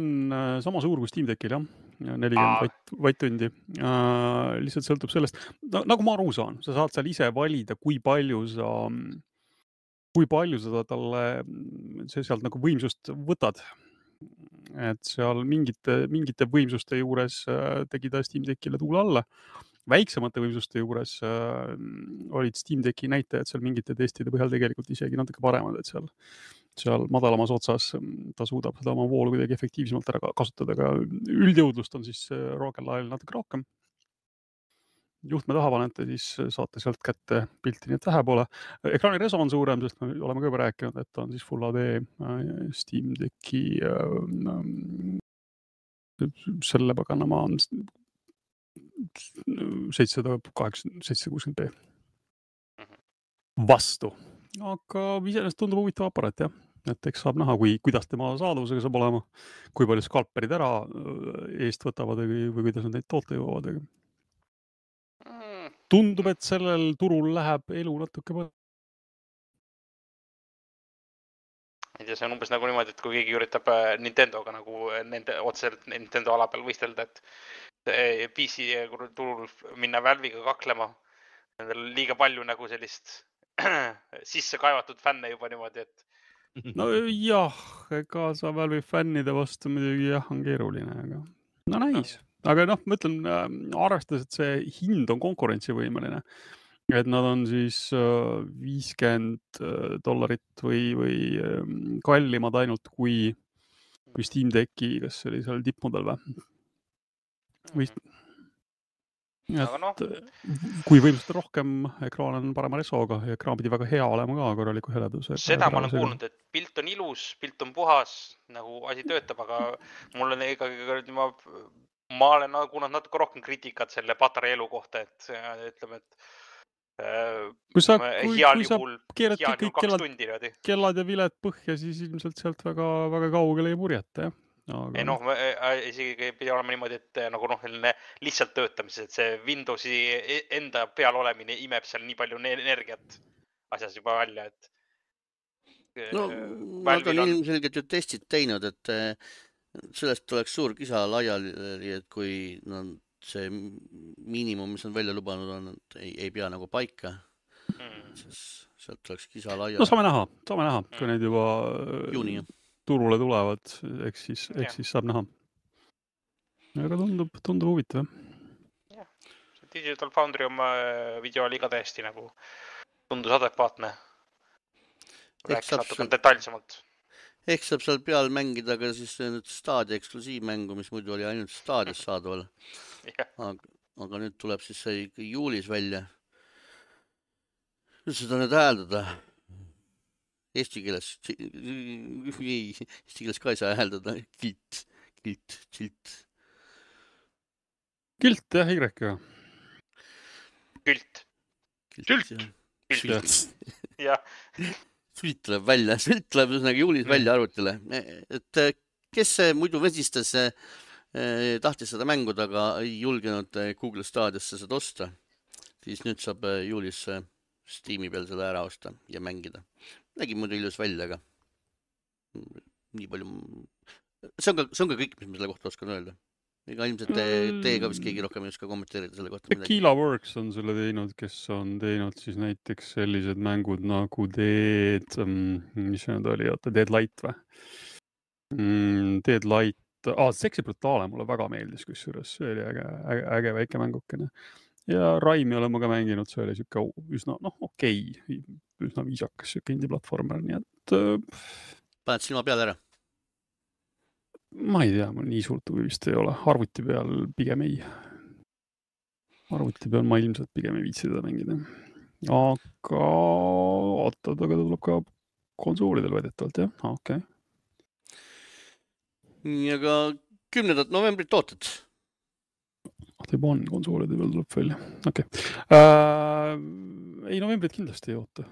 sama suur kui Steam Deckil, jah. nelikümmend vatt-tundi. Uh, lihtsalt sõltub sellest, no, nagu ma aru saan, sa saad seal ise valida, kui palju sa, kui palju sa talle sealt nagu võimsust võtad. Et seal mingite, mingite võimsuste juures tegi ta Steam Deckile tuule alla. Väiksemate võimsuste juures äh, olid Steam Decki näitajad seal mingite testide põhjal tegelikult isegi natuke paremad, et seal, seal madalamas otsas ta suudab seda oma voolu kuidagi efektiivsemalt ära kasutada, aga üldjõudlust on siis Rock'n'Roll ajal natuke rohkem. Juhtme taha panete, siis saate sealt kätte pilti, nii et vähe pole. Ekraani reso on suurem, sest me oleme ka juba rääkinud, et on siis Full H D Steam Decki äh, selle paganama on seitsesada kaheksakümmend, seitsesada kuuskümmend B vastu. Aga iseenesest tundub huvitav aparaat, jah. Et eks saab näha, kui, kuidas tema saadavusega saab olema, kui palju skalperid ära eest võtavad või, või kuidas nad neid toote jõuavad. Tundub, et sellel turul läheb elu natuke palju. ei tea, see on umbes nagu niimoodi, et kui keegi üritab Nintendoga nagu nende otseselt Nintendo ala peal võistelda, et P C turul minna Valve'iga kaklema. Nendel liiga palju nagu sellist sisse kaevatud fänne juba niimoodi, et no jah, ega sa Valve'i fännide vastu muidugi jah, on keeruline, aga no näis. Aga noh, ma ütlen, arvestades, et see hind on konkurentsivõimeline, et nad on siis viiskümmend dollarit või, või kallimad ainult kui, kui Steam Decki, kas see oli seal tippmudel või? Või... Et, no. Kui võimsust rohkem, ekraan on parema resoga ja ekraan pidi väga hea olema ka korraliku heleduse. Seda ma olen kuulnud, et pilt on ilus, pilt on puhas, nagu asi töötab, aga mul on ikkagi, ma, ma olen kuulnud natuke rohkem kriitikat selle patarei elu kohta, et ütleme, et kui sa, kui, kui sa keerad kõik kellad, tundi, kellad ja viled põhja, siis ilmselt sealt väga, väga kaugele ei purjeta, jah. Aga... ei noh, isegi pidi olema niimoodi, et nagu noh, lihtsalt töötamises, et see Windowsi enda peal olemine imeb seal nii palju energiat asjas juba välja, et no, nad on ilmselgelt ju testid teinud, et sellest oleks suur kisa laiali, et kui no, see miinimum, mis on välja lubanud on, ei, ei pea nagu paika, hmm. siis sealt oleks kisa laiali. No saame näha, saame näha, kui hmm. neid juba juuni, jah. Turule tulevad, eks siis, eks siis saab näha. Aga tundub, tundub huvitav. Jah, Digital Foundry oma video oli ka täiesti nagu tundus adekvaatne. Rääkis natuke detailsemalt. Ehk saab seal peal mängida ka siis Stadia eksklusiivmängu, mis muidu oli ainult Stadias saadaval. aga, aga nüüd tuleb siis see juulis välja. Nüüd seda nüüd hääldada. Eesti keeles, ei, eesti keeles ka ei saa hääldada, kilt, kilt, kilt. Kilt, jah, Y-ga. Kilt. Kilt. Kilt. Jah. Sült tuleb välja, sült tuleb üsnagi juulis välja arvutile. Et kes muidu vesistas, tahtis seda mänguda, aga ei julgenud Google Stadiasse seda osta, siis nüüd saab juulis Steam'i peal seda ära osta ja mängida. Nägi muidu ilus välja, aga nii palju... See on ka, see on ka kõik, mis ma selle kohta oskan öelda. Ega ilmselt te, teie ka vist keegi rohkem ei oska kommenteerida selle kohta midagi. Tequila Works on selle teinud, kes on teinud siis näiteks sellised mängud nagu Dead, mis see nüüd oli, oota, Dead Light või? Dead Light, ah, Sexy Brutale mulle väga meeldis, kusjuures see oli äge, äge, äge väike mängukene. Ja Raimi olen ma ka mänginud, see oli siuke üsna, noh, okei, üsna viisakas siuke indie-platformer, nii et... Paned silma peale ära? Ma ei tea, mul nii suurt huvi vist ei ole. Arvuti peal pigem ei. Arvuti peal ma ilmselt pigem ei viitsi seda mängida. Aga ootad, aga ta tuleb ka konsoolidel väidetavalt, jah? Ah, okei. Okay. Aga kümnendat novembrit ootad? juba on konsoolide peal tuleb välja. Okei. Okay. Äh, ei, novembrit kindlasti ei oota.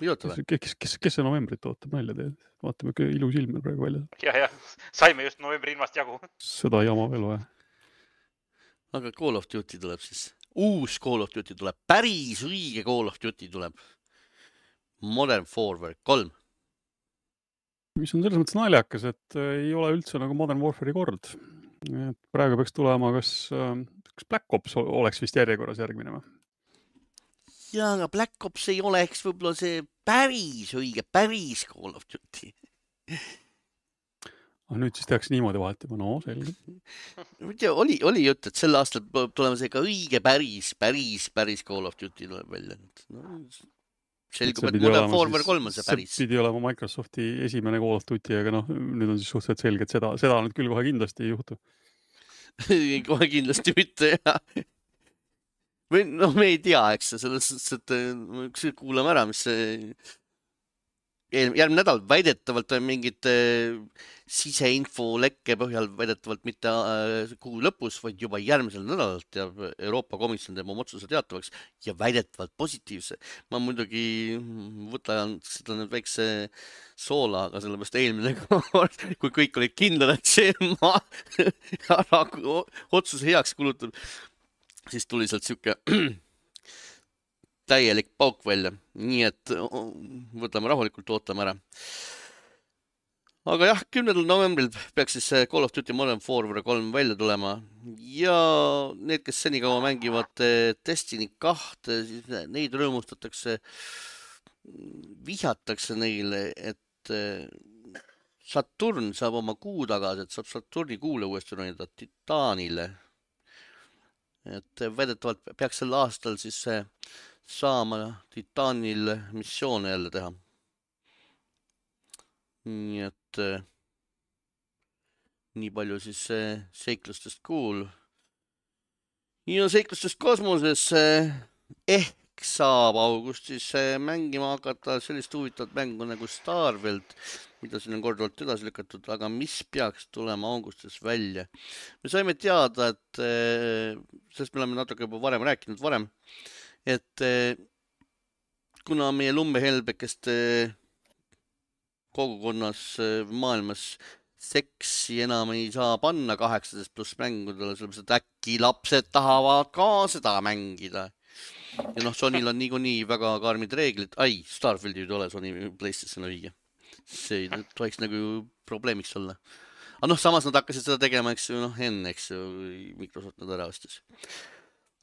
Ei oota või? Kes, kes, kes see novembrit ootab välja teed? Vaatame, kui ilus ilm praegu välja. Ja, ja. Saime just novembri ilmast jagu. Seda jama veel vaja. Aga Call of Duty tuleb siis. Uus Call of Duty tuleb. Päris õige Call of Duty tuleb. Modern Warfare kolm. Mis on selles mõttes naljakas, et ei ole üldse nagu Modern Warfare'i kord. Et praegu peaks tulema, kas, kas Black Ops oleks vist järjekorras järgmine või? Ja, aga Black Ops ei oleks võib-olla see päris õige, päris Call of Duty. Ah, nüüd siis tehakse niimoodi vahetama, no selge. Oli, oli jutt, et sel aastal tulema see ka õige päris, päris, päris Call of Duty tuleb välja. No, selgub, et Modern Warfare kolm on see päris. See pidi olema Microsofti esimene Call of Duty, aga noh, nüüd on siis suhteliselt selge, et seda, seda nüüd küll kohe kindlasti ei juhtu. kohe kindlasti mitte, jah. Või noh, me ei tea, eks selles, et kuulame ära, mis see järgmine nädal väidetavalt on mingid siseinfo lekke põhjal väidetavalt mitte kuu lõpus, vaid juba järgmisel nädalal teab Euroopa Komisjon teeb oma otsuse teatavaks ja väidetavalt positiivse. Ma muidugi võtan seda nüüd väikse soola, aga sellepärast eelmine kord, kui kõik olid kindlad, et see ma otsuse heaks kulutab, siis tuli sealt siuke täielik pauk välja. Nii et võtame rahulikult, ootame ära. Aga jah, kümnendal novembril peaks siis Call of Duty Modern Warfare kolm välja tulema. Ja need, kes seni kaua mängivad Destiny kahte, siis neid rõõmustatakse, vihjatakse neile, et Saturn saab oma kuu tagasi, et saab Saturni kuule uuesti ronida Titanile. Et väidetavalt peaks sel aastal siis saama Titanil missioone jälle teha. Nii et nii palju siis seiklustest kuul. Ja seiklustest kosmoses ehk saab augustis mängima hakata sellist huvitavat mängu nagu Starfield, mida siin on korduvalt edasi lükatud, aga mis peaks tulema augustis välja. Me saime teada, et sest me oleme natuke juba varem rääkinud varem, et kuna meie lummehelbekest kogukonnas maailmas seksi enam ei saa panna kaheksateist pluss mängudele, sellepärast et äkki lapsed tahavad ka seda mängida. Ja noh, Sonyl on niikuinii väga karmid reeglid. Ai, Starfield ei ole Sony PlayStation õige. See ei tohiks nagu probleemiks olla. Aga noh, samas nad hakkasid seda tegema, eks ju, noh, enne, eks ju, Microsoft nad ära ostis.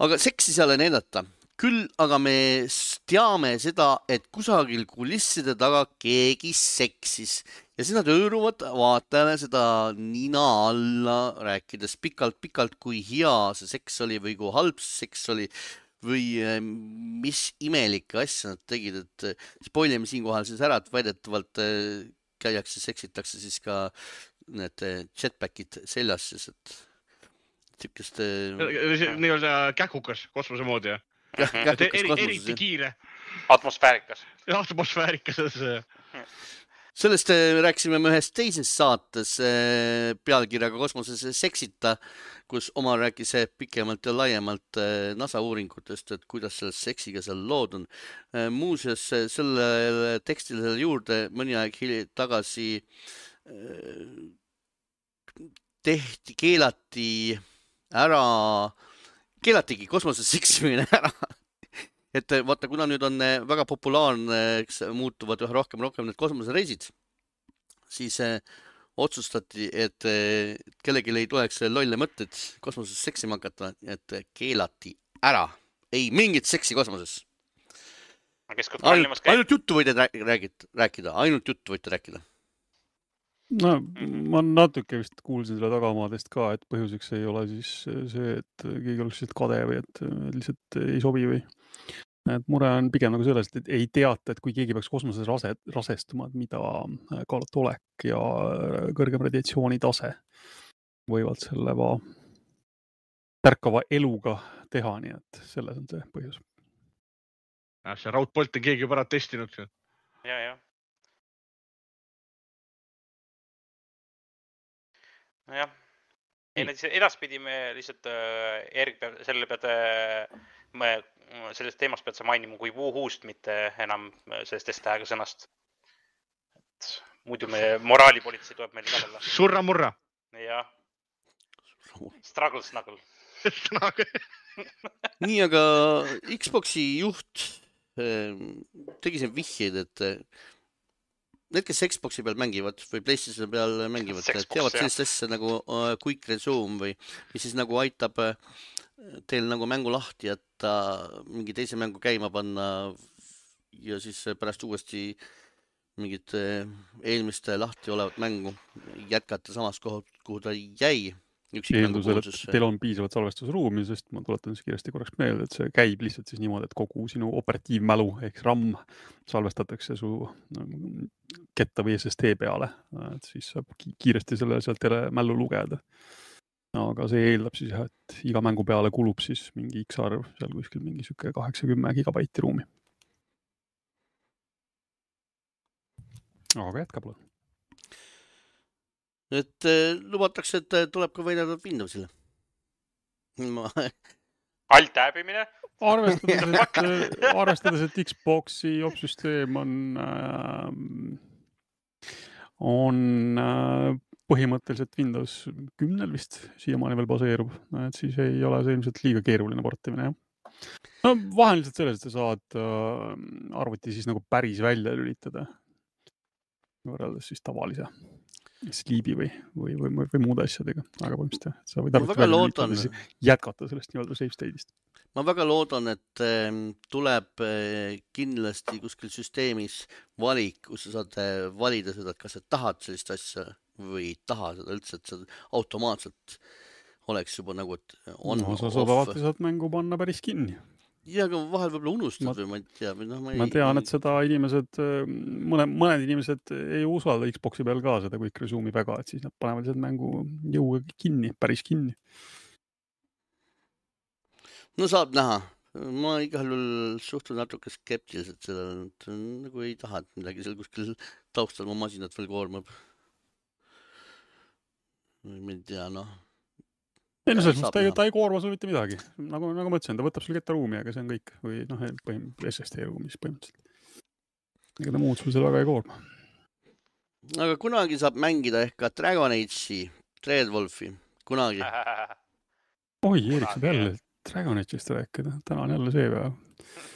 Aga seksi seal ei näidata. Küll aga me teame seda, et kusagil kulisside taga keegi seksis. Ja siis nad õõruvad vaatajale seda nina alla rääkides pikalt-pikalt, kui hea see seks oli või kui halb see seks oli või mis imelikke asja nad tegid, et spoilime siinkohal siis ära, et väidetavalt käiakse, seksitakse siis ka need jetpackid seljas, siis et tükest... Nii-öelda käkukas kosmose moodi, jah? Eriti kiire. Atmosfäärikas. Atmosfäärikas. Sellest rääkisime me ühes teises saates pealkirjaga Kosmoses seksita, kus Omar rääkis pikemalt ja laiemalt NASA uuringutest, et kuidas selle seksiga seal lood on. Muuseas, selle tekstile juurde mõni aeg tagasi tehti, keelati ära, keelatigi kosmoses seksimine ära. Et vaata, kuna nüüd on väga populaarne, muutuvad üha rohkem rohkem need kosmosereisid, siis otsustati, et kellegi ei tuleks lolle mõtted kosmoses seksima hakata, et keelati ära. Ei mingit seksi kosmoses. Ainult, ainult juttu võite rääkida, ainult juttu võite rääkida. No, ma natuke vist kuulsin selle tagamaadest ka, et põhjuseks ei ole siis see, et keegi oleks lihtsalt kade või et lihtsalt ei sobi või. Et mure on pigem nagu sellest, et ei teata, et kui keegi peaks kosmoses rase, rasestuma, et mida kaalutolek ja kõrgem radiatsiooni tase võivad selle va tärkava eluga teha, nii et selles on see põhjus. Ja, see raudpolt on keegi juba ära testinud. Ja, ja. Nojah, ei, need edaspidi me lihtsalt äh, Erik peab, selle pead äh, me, sellest teemast pead sa mainima kui Wuhuust, mitte enam sellest S-tähega sõnast. Et muidu me moraalipolitsei tuleb meil kallale. Surra-murra. Jah. Struggle snuggle. Nii, aga Xboxi juht tegi siin vihjeid, et need, kes Xboxi peal mängivad või PlayStation peal mängivad, teavad sellist asja nagu Quick Resume või mis siis nagu aitab teil nagu mängu lahti jätta, mingi teise mängu käima panna ja siis pärast uuesti mingit eelmist lahti olevat mängu jätkata samas kohalt, kuhu ta jäi. Eeldusel, et teil on piisavalt salvestusruumi, sest ma tuletan siis kiiresti korraks meelde, et see käib lihtsalt siis niimoodi, et kogu sinu operatiivmälu ehk RAM salvestatakse su ketta või S S D peale, et siis saab kiiresti selle sealt jälle mällu lugeda. Aga see eeldab siis, et iga mängu peale kulub siis mingi X arv, seal kuskil mingi süke kaheksakümmend gigabaiti ruumi. Aga jätka pole. Et lubatakse, et tuleb ka võidelda Windowsile. Ma... Alt-täbimine? Arvestades, et, arvestades, et Xboxi opsüsteem on, on põhimõtteliselt Windows kümnel vist siiamaani veel baseerub, et siis ei ole see ilmselt liiga keeruline portimine. No, vahel lihtsalt selles, et sa saad arvuti siis nagu päris välja lülitada võrreldes siis tavalise Sleepi või, või, või, või muude asjadega, aga põhimõtteliselt sa võid arvuti välja lülitada jätkata sellest nii-öelda safe state'ist. Ma väga loodan, et tuleb kindlasti kuskil süsteemis valik, kus sa saad valida seda, et kas sa tahad sellist asja või ei taha seda üldse, et sa automaatselt oleks juba nagu, et on no, sa saad alati saad mängu panna päris kinni. Ja, aga vahel võib-olla unustad ma, või ma ei tea. Või no, ma, ei, ma tean, et seda inimesed, mõne, mõned inimesed ei usalda Xboxi peal ka seda Quick Resume'i väga, et siis nad panevad lihtsalt mängu jõuga kinni, päris kinni. No saab näha. Ma igal juhul suhtun natuke skeptiliselt seda, et nagu ei taha, et midagi seal kuskil taustal mu masinat veel koormab. Ma ei tea, noh. Ei, no selles mõttes ta, ta ei koorma sul mitte midagi. Nagu, nagu ma ütlesin, ta võtab sul ketta ruumi, aga see on kõik. Või noh, põhim, S S D ruumis põhimõtteliselt. Ega ta muud sul seal väga ei koorma. Aga kunagi saab mängida ehk ka Dragon Age'i, Dreadwolfi. Kunagi. Oi, Erik saab jälle Dragon Age'ist rääkida. Täna on jälle see päev.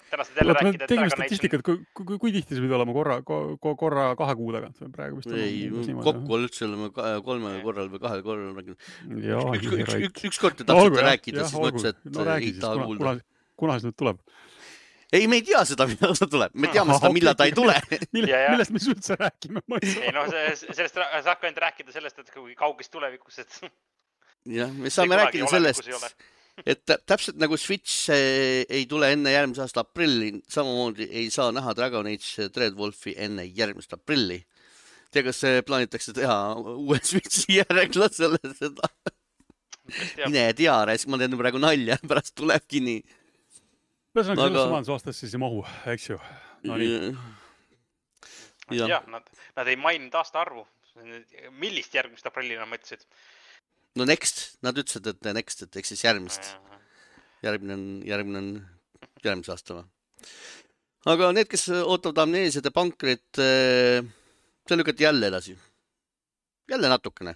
Täna saad jälle rääkida, et Dragon Age... Kui, kui, kui tihti see pidi olema korra, korra kahe kuu tagant? Praegu vist ei, kokku üldse oleme kolme korral või kahel korral rääkinud. Üks, üks, üks, üks kord te tahtsite rääkida, siis mõtles, et no, ei taha kuulda. Kuna see nüüd tuleb? Ei, me ei tea seda, millal ta tuleb. Me teame seda, millal ta ei tule. Millest me üldse räägime? Ei, no, sellest saab ka ainult rääkida sellest, et kui kaugest tulevikus, et... jah, me saame rääkida sellest... Et täpselt nagu Switch ei tule enne järgmise aasta aprilli, samamoodi ei saa näha Dragon Age Dreadwolfi enne järgmist aprilli. Tea, kas plaanitakse teha uue Switchi järgla selle seda? Mine tea, ma teen praegu nalja, pärast tulebki nii. Ühesõnaga, sellesse majandusaastas siis ei mahu, eks ju? No nii. Jah, nad, nad ei maininud aasta arvu. Millist järgmist aprillina mõtlesid? No next, nad ütlesid, et next, et eks siis järgmist. Järgmine on, järgmine on järgmise aastava. Aga need, kes ootavad amneesiad ja pankrit, see lükati jälle edasi. Jälle natukene.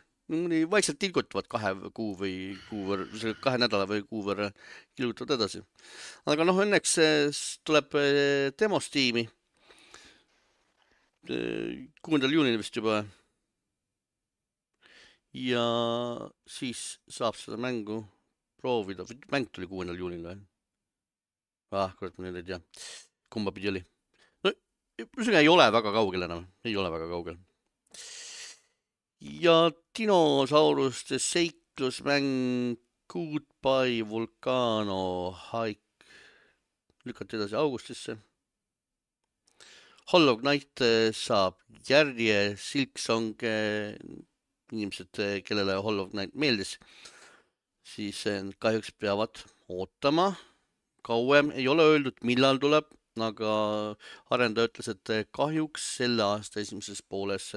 Vaikselt tilgutavad kahe kuu või kuu võrra, kahe nädala või kuu võrra tilgutavad edasi. Aga noh, õnneks tuleb demostiimi. kuuendal juunil vist juba. Ja siis saab seda mängu proovida. Mäng tuli kuuendal juunil või? Ah, kurat, ma nüüd ei tea. Kumba pidi oli? No, ei ole väga kaugel enam. Ei ole väga kaugel. Ja dinosauruste seiklusmäng Goodbye Volcano Hike lükati edasi augustisse. Hollow Knight saab järje Silksong inimesed, kellele Hollow Knight meeldis, siis kahjuks peavad ootama kauem. Ei ole öeldud, millal tuleb, aga arendaja ütles, et kahjuks selle aasta esimeses pooles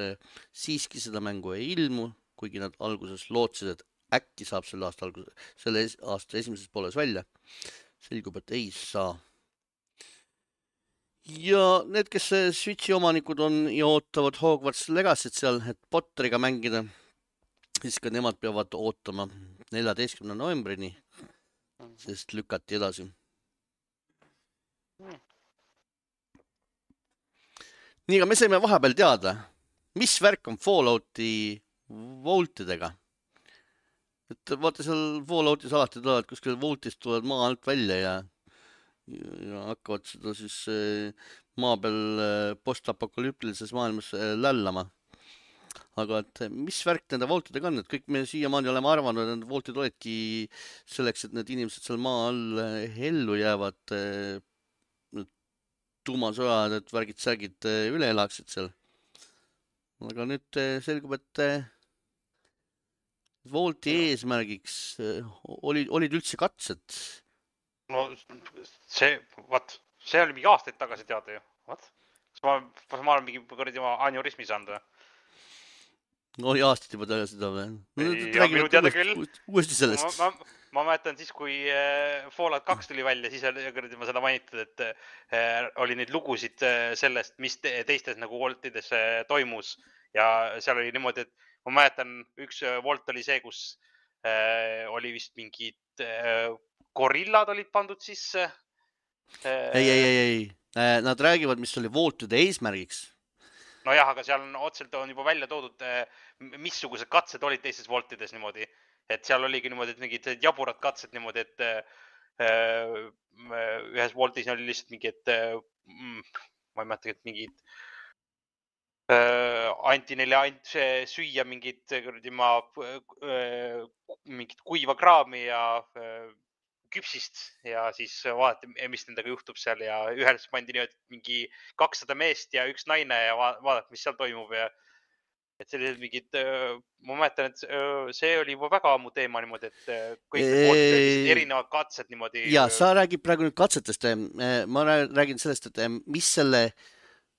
siiski seda mängu ei ilmu, kuigi nad alguses lootsid, et äkki saab selle aasta algus, selle aasta esimeses pooles välja. Selgub, et ei saa. Ja need, kes Switchi omanikud on ja ootavad Hogwarts Legacy't seal, et Potteriga mängida, siis ka nemad peavad ootama neljateistkümnenda novembrini, sest lükati edasi. Nii, aga me saime vahepeal teada, mis värk on Fallouti voltidega. Et vaata seal Falloutis alati tulevad, kuskil voltist tulevad maa alt välja ja, ja hakkavad seda siis maa peal postapokalüptilises maailmas lällama. Aga et mis värk nende voltidega on, et kõik me siiamaani oleme arvanud, et need voltid olidki selleks, et need inimesed seal maa all ellu jäävad, tuumasõjad, et värgid-särgid üle elaksid seal. Aga nüüd selgub, et volti eesmärgiks olid, olid üldse katsed. No see, vaat, see oli mingi aastaid tagasi teada ju. Vaat? Ma, ma olen mingi kõrdi oma aneurismi saanud või? No oli aastaid juba tagasi seda või? No, ja minu teada küll. Uuesti sellest. Ma, ma, ma mäletan siis, kui Fallout kaks tuli välja, siis oli kõrdi ma seda mainitud, et äh, oli neid lugusid sellest, mis te, teistes nagu voltides äh, toimus. Ja seal oli niimoodi, et ma mäletan, üks volt oli see, kus äh, oli vist mingid äh, gorillad olid pandud sisse. Äh, ei, ei, ei, ei. Äh, nad räägivad, mis oli voltide eesmärgiks. No jah, aga seal on otselt on juba välja toodud, missugused katsed olid teistes voltides niimoodi. Et seal oligi niimoodi, et mingid jaburad katsed niimoodi, et äh, ühes voltis oli lihtsalt mingi, et äh, ma ei mäleta, et mingid äh, anti neile ant, süüa mingid, ma, äh, mingid kuiva kraami ja äh, küpsist ja siis vaadati, mis nendega juhtub seal ja ühels pandi nii, et mingi kakssada meest ja üks naine ja vaadati, mis seal toimub ja et sellised mingid, ma mäletan, et see oli juba väga ammu teema niimoodi, et kõik eee... erinevad katsed niimoodi. Ja, sa räägid praegu nüüd katsetest. Ma räägin sellest, et mis selle,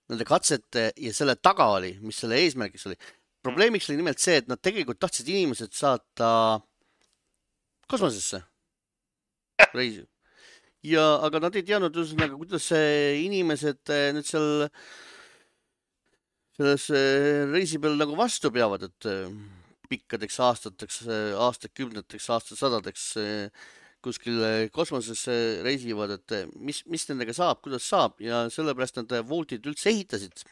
nende katsete ja selle taga oli, mis selle eesmärgiks oli. Probleemiks oli nimelt see, et nad tegelikult tahtsid inimesed saata kosmosesse. Reisi. Ja, aga nad ei teadnud, kuidas inimesed nüüd seal selles reisi peal nagu vastu peavad, et pikkadeks aastateks, aastakümneteks, aastasadadeks kuskil kosmosesse reisivad, et mis, mis nendega saab, kuidas saab ja sellepärast nad voltid üldse ehitasid,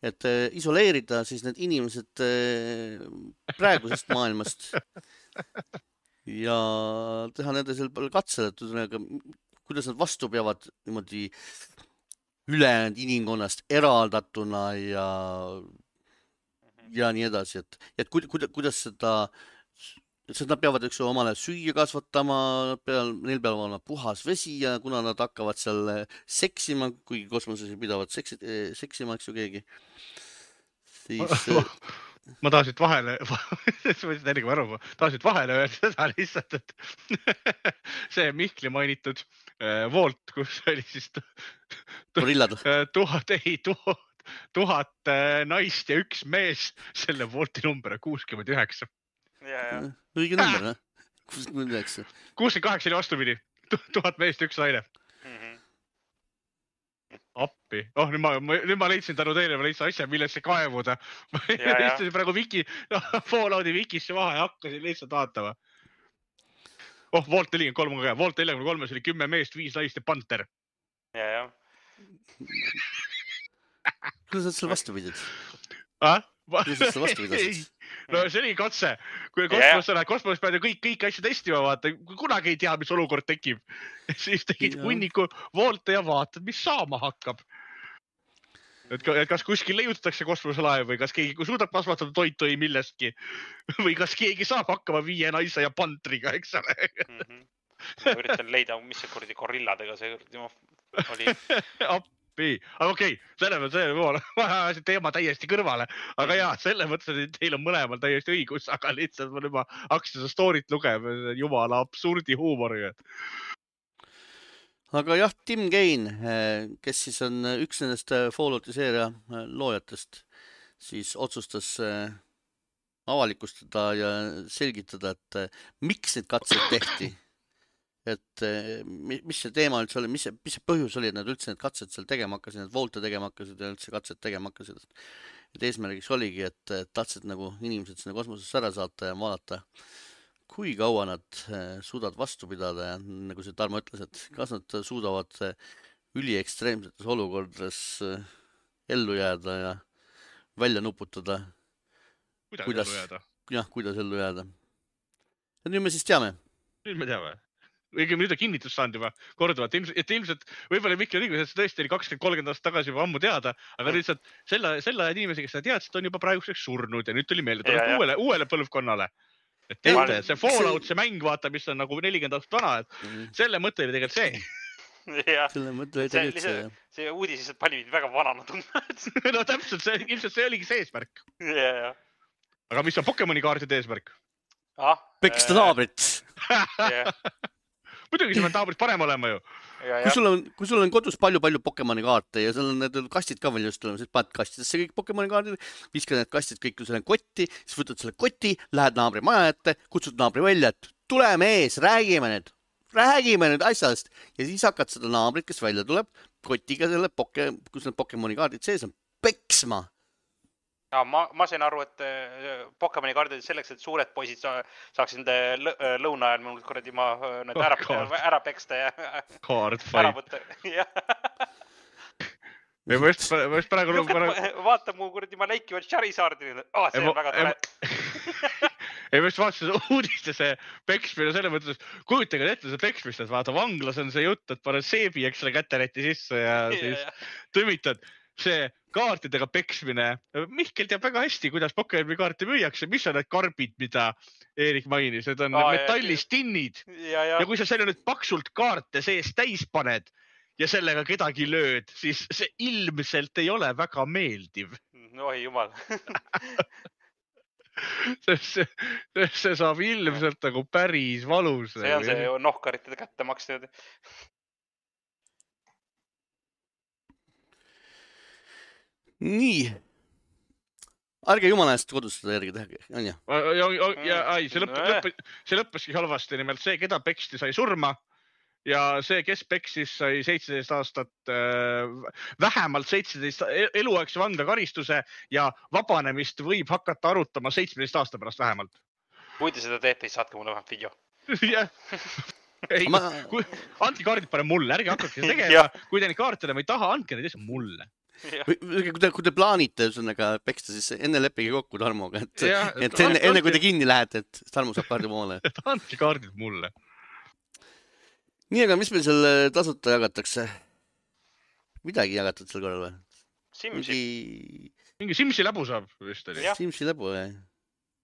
et isoleerida siis need inimesed praegusest maailmast. Ja teha nende seal palju katsel, et kuidas nad vastu peavad niimoodi ülejäänud inimkonnast eraldatuna ja, ja nii edasi, et, et kuidas, kuidas seda, sest nad peavad üks omale süüa kasvatama, peal, neil peab olema puhas vesi ja kuna nad hakkavad seal seksima, kuigi kosmoses pidavad seksi, seksima, eks ju keegi, siis... Ma tahan siit vahele, ennegi ma aru, ma tahan siit vahele öelda seda lihtsalt, et see Mihkli mainitud volt, kus oli siis tuhat, ei, tuhat, tuhat naist ja üks mees, selle volti number on kuuskümmend üheksa. Õige number, kuuskümmend üheksa. kuuskümmend kaheksa oli vastupidi, tuhat meest ja üks naine. Appi. Oh, nüüd ma, nüüd ma leidsin tänu teile, ma leidsin asja, millesse kaevuda. Ma leidsin praegu Wiki, no, Fallouti Wikisse maha ja hakkasin lihtsalt vaatama. Oh, Volt nelikümmend kolm on ka. Volt nelikümmend kolm oli kümme meest, viis naist ja panter. Ja, ja. Kuidas sa selle vastu pidid? Ah? Kuidas sa selle vastu pidid? No see oli katse. Kui kosmos on, kosmos pead ju kõik, kõik asju testima vaata. Kunagi ei tea, mis olukord tekib. Siis tegid hunniku voolte ja vaatad, mis saama hakkab. Et kas kuskil leiutatakse kosmoselaev või kas keegi suudab kasvatada toitu või millestki. Või kas keegi saab hakkama viie naise ja pantriga, eks ole. Mm-hmm. Ma üritan leida, mis see kurdi gorilladega see oli. Appi. Aga okei, okay, selle mõttes teema täiesti kõrvale. Aga jaa, selle mõttes, et teil on mõlemal täiesti õigus, aga lihtsalt ma juba hakkasin seda story't lugema, jumala absurdi huumoriga. Aga jah, Tim Kaine, kes siis on üks nendest Fallouti seeria loojatest, siis otsustas avalikustada ja selgitada, et miks need katsed tehti. Et mis see teema üldse oli, mis see, mis see põhjus oli, et nad üldse need katsed seal tegema hakkasid, need voolte tegema hakkasid ja üldse katsed tegema hakkasid. Et eesmärgiks oligi, et tahtsid nagu inimesed sinna kosmosesse ära saata ja vaadata, kui kaua nad suudavad vastu pidada ja nagu see Tarmo ütles, et kas nad suudavad üliekstreemsetes olukordades ellu jääda ja välja nuputada. Kuidas, kuidas ellu jääda? Jah, kuidas ellu jääda. Ja nüüd me siis teame. Nüüd me teame. Õigem nüüd on kinnitus saanud juba korduvalt, et ilmselt võib-olla Mikkel Riigus, et see tõesti oli kakskümmend kolmkümmend aastat tagasi juba ammu teada, aga lihtsalt selle, selle ajad inimesi, kes seda teadsid, on juba praeguseks surnud ja nüüd tuli meelde ja, uuele, uuele põlvkonnale. Et teate, see Fallout, see mäng, vaata, mis on nagu nelikümmend aastat vana, et mm -hmm. selle mõte oli tegelikult see. Ja, selle mõte oli tegelikult see. See uudis lihtsalt pani väga vanana tundma. No täpselt, see, ilmselt see oligi see eesmärk. Ja, ja. Aga mis on Pokemoni kaardide eesmärk? Ah, Peksta naabrit. Yeah. Muidugi see on naabrit parem olema ju. Ja, kui, sul on, kui sul on kodus palju-palju Pokemoni kaarte ja seal on need kastid ka veel just olema, siis paned kastidesse kõik Pokemoni kaardid, viskad need kastid kõik selle kotti, siis võtad selle kotti, lähed naabri maja ette, kutsud naabri välja, et tule mees, räägime nüüd, räägime nüüd asjast ja siis hakkad seda naabrit, kes välja tuleb, kotiga selle, poke, kus need Pokemoni kaardid sees on, peksma. Ja, ma, ma sain aru, et Pokemoni kaardid selleks, et suured poisid sa, saaks nende lõuna ajal mul kuradi ma need ära, ära peksta ja Card ära võtta. Me võist, võist praegu lõu pärast... Vaata mu kuradi ma läikivad Charizardi. Oh, see on väga tore. Ei võist vaatasin uudiste see peksmine selle mõttes, kujutage ette see peksmist, et vaata vanglas on see jutt, et pane seebi, eks selle käteräti sisse ja siis tõmitad. See kaartidega peksmine. Mihkel teab väga hästi, kuidas Pokemoni kaarte müüakse. Mis on need karbid, mida Eerik mainis? Need on Aa, metallist tinnid. Ja, ja. ja kui sa selle nüüd paksult kaarte sees täis paned ja sellega kedagi lööd, siis see ilmselt ei ole väga meeldiv. Oi jumal. see, see, see saab ilmselt nagu päris valus. See on see nohkaritele kätte maksnud. Nii. Ärge jumala eest kodus seda järgi teha, on ju? Ja, ja, ja, ai, see, lõpp, lõpp, see lõppeski halvasti, nimelt see, keda peksti sai surma ja see, kes peksis sai seitseteist aastat, vähemalt seitseteist eluaegse vanglakaaristuse ja vabanemist võib hakata arutama seitsmeteist aasta pärast vähemalt. Kui te seda teete, siis saatke mulle vähemalt video. Jah. Ei, ma... kui, andke kaardid pane mulle, ärge hakkake tegema. Kui te neid kaartide ma ei taha, andke neid lihtsalt mulle. Kui te, kui te plaanite üsõnaga peksta, siis enne leppige kokku Tarmoga, et, ja, et, et enne, enne kui te kinni lähete, et Tarmo saab kaardi poole. Et andke kaardid mulle. Nii, aga mis meil seal tasuta jagatakse? Midagi jagatud seal korral või? Simsi. Mingi, Mingi Simsi läbu saab vist oli. Simsi läbu, jah.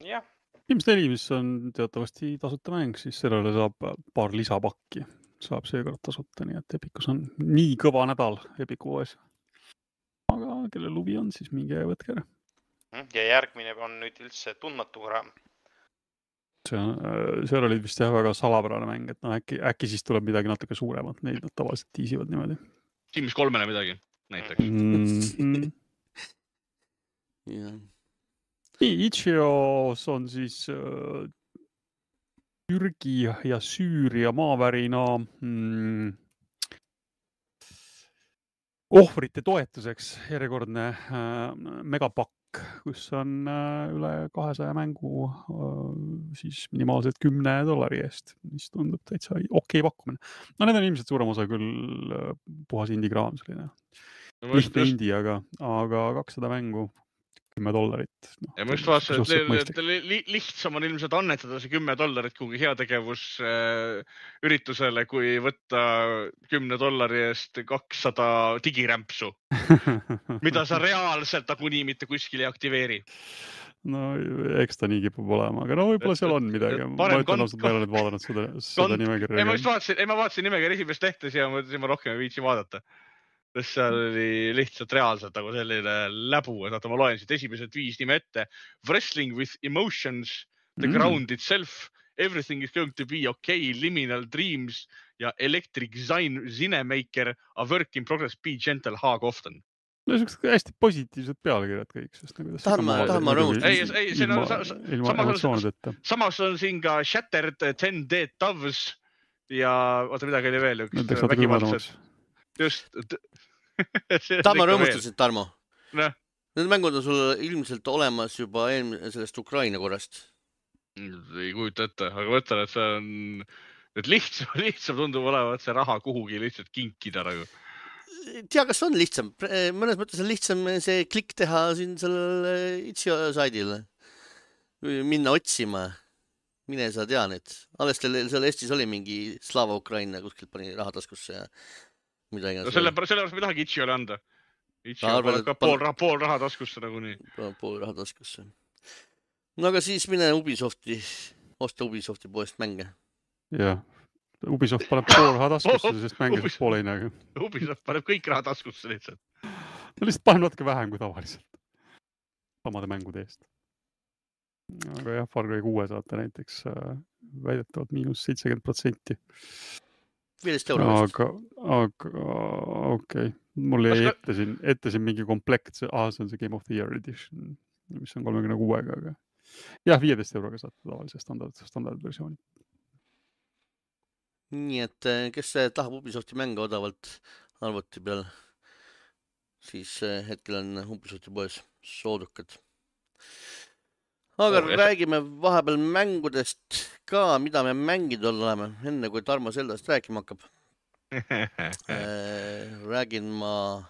Jah. Sims neli, mis on teatavasti tasuta mäng, siis sellele saab paar lisapakki. Saab seekord tasuta, nii et Epicus on nii kõva nädal Epicu oes. Aga kelle lubi on, siis minge ja võtke ära. Ja järgmine on nüüd üldse tundmatu raam. See on, seal oli vist jah väga salapärane mäng, et no äkki, äkki siis tuleb midagi natuke suuremat, neid nad tavaliselt tiisivad niimoodi. Sims kolmene midagi, näiteks. Mm-hmm. Jah. Nii, Itšios on siis äh, Türgi ja Süüria maavärina mm, ohvrite toetuseks järjekordne äh, megapakk, kus on äh, üle kahesaja mängu äh, siis minimaalselt kümne dollari eest, mis tundub täitsa okei pakkumine. No need on ilmselt suurem osa küll äh, puhas indigraam selline. No, lihtne indi, aga, aga kakssada mängu kümme dollarit. No, ja ma just vaatasin, et, et li, lihtsam on ilmselt annetada see kümme dollarit kuhugi heategevus äh, üritusele, kui võtta kümne dollari eest kakssada digirämpsu, mida sa reaalselt nagunii mitte kuskil ei aktiveeri. No eks ta nii kipub olema, aga no võib-olla seal on midagi. Ma ütlen ausalt, ma ei ole nüüd vaadanud seda, seda nimekirja. Ei, ma just vaatasin, ei, ma vaatasin nimekirja esimest lehtes ja ma, ma rohkem ei viitsi vaadata. Sest seal oli lihtsalt reaalselt nagu selline läbu, et ma loen siit esimesed viis nime ette. Wrestling with emotions, the mm. ground itself, everything is going to be okay, liminal dreams ja electric Zinemaker, a work in progress, be gentle, hug often. No see hästi positiivsed pealkirjad kõik, sest nagu tahan ma, tahan ma rõõmustada. Ei, ei, see on ilma emotsioonideta. Samas on siin ka Shattered ten Dead Doves ja oota midagi oli veel üks vägivaldsed. Just. Tahan ma rõõmustasid, Tarmo. Need mängud on sul ilmselt olemas juba sellest Ukraina korrast. Ei kujuta ette, aga mõtlen, et see on et lihtsam, lihtsam tundub olevat see raha kuhugi lihtsalt kinkida nagu. Tea, kas on lihtsam? Mõnes mõttes on lihtsam see klikk teha siin sellel Itsi saidil. Minna otsima. Mine sa tea nüüd. Alles seal Eestis oli mingi Slava Ukraina kuskilt pani rahataskusse ja midagi. No selle pärast me tahagi Itšiole anda. Itši on ka pool, pool raha taskusse nagu nii. Pool raha taskusse. No aga siis mine Ubisofti, osta Ubisofti poest mänge. Jah, Ubisoft paneb pool raha taskusse, sest mängides poole ei näe. Ubisoft paneb kõik raha taskusse lihtsalt. No lihtsalt paneb natuke vähem kui tavaliselt. Samade mängude eest. Aga jah, Far Cry kuue saate näiteks väidetavalt miinus seitsekümmend protsenti. viisteist euro vist. Aga, aga okei. Okay. Mul jäi ette siin, ette siin mingi komplekt, ah, see on see Game of the Year edition, mis on kolmekümne kuuega, aga jah, viieteist euroga saate tavalise standard, standardversiooni. Nii et kes tahab Ubisofti mänge odavalt arvuti peal, siis hetkel on Ubisofti poes soodukad. Aga oh, räägime vahepeal mängudest ka, mida me mängid oleme, enne kui Tarmo Zeldast rääkima hakkab. Räägin ma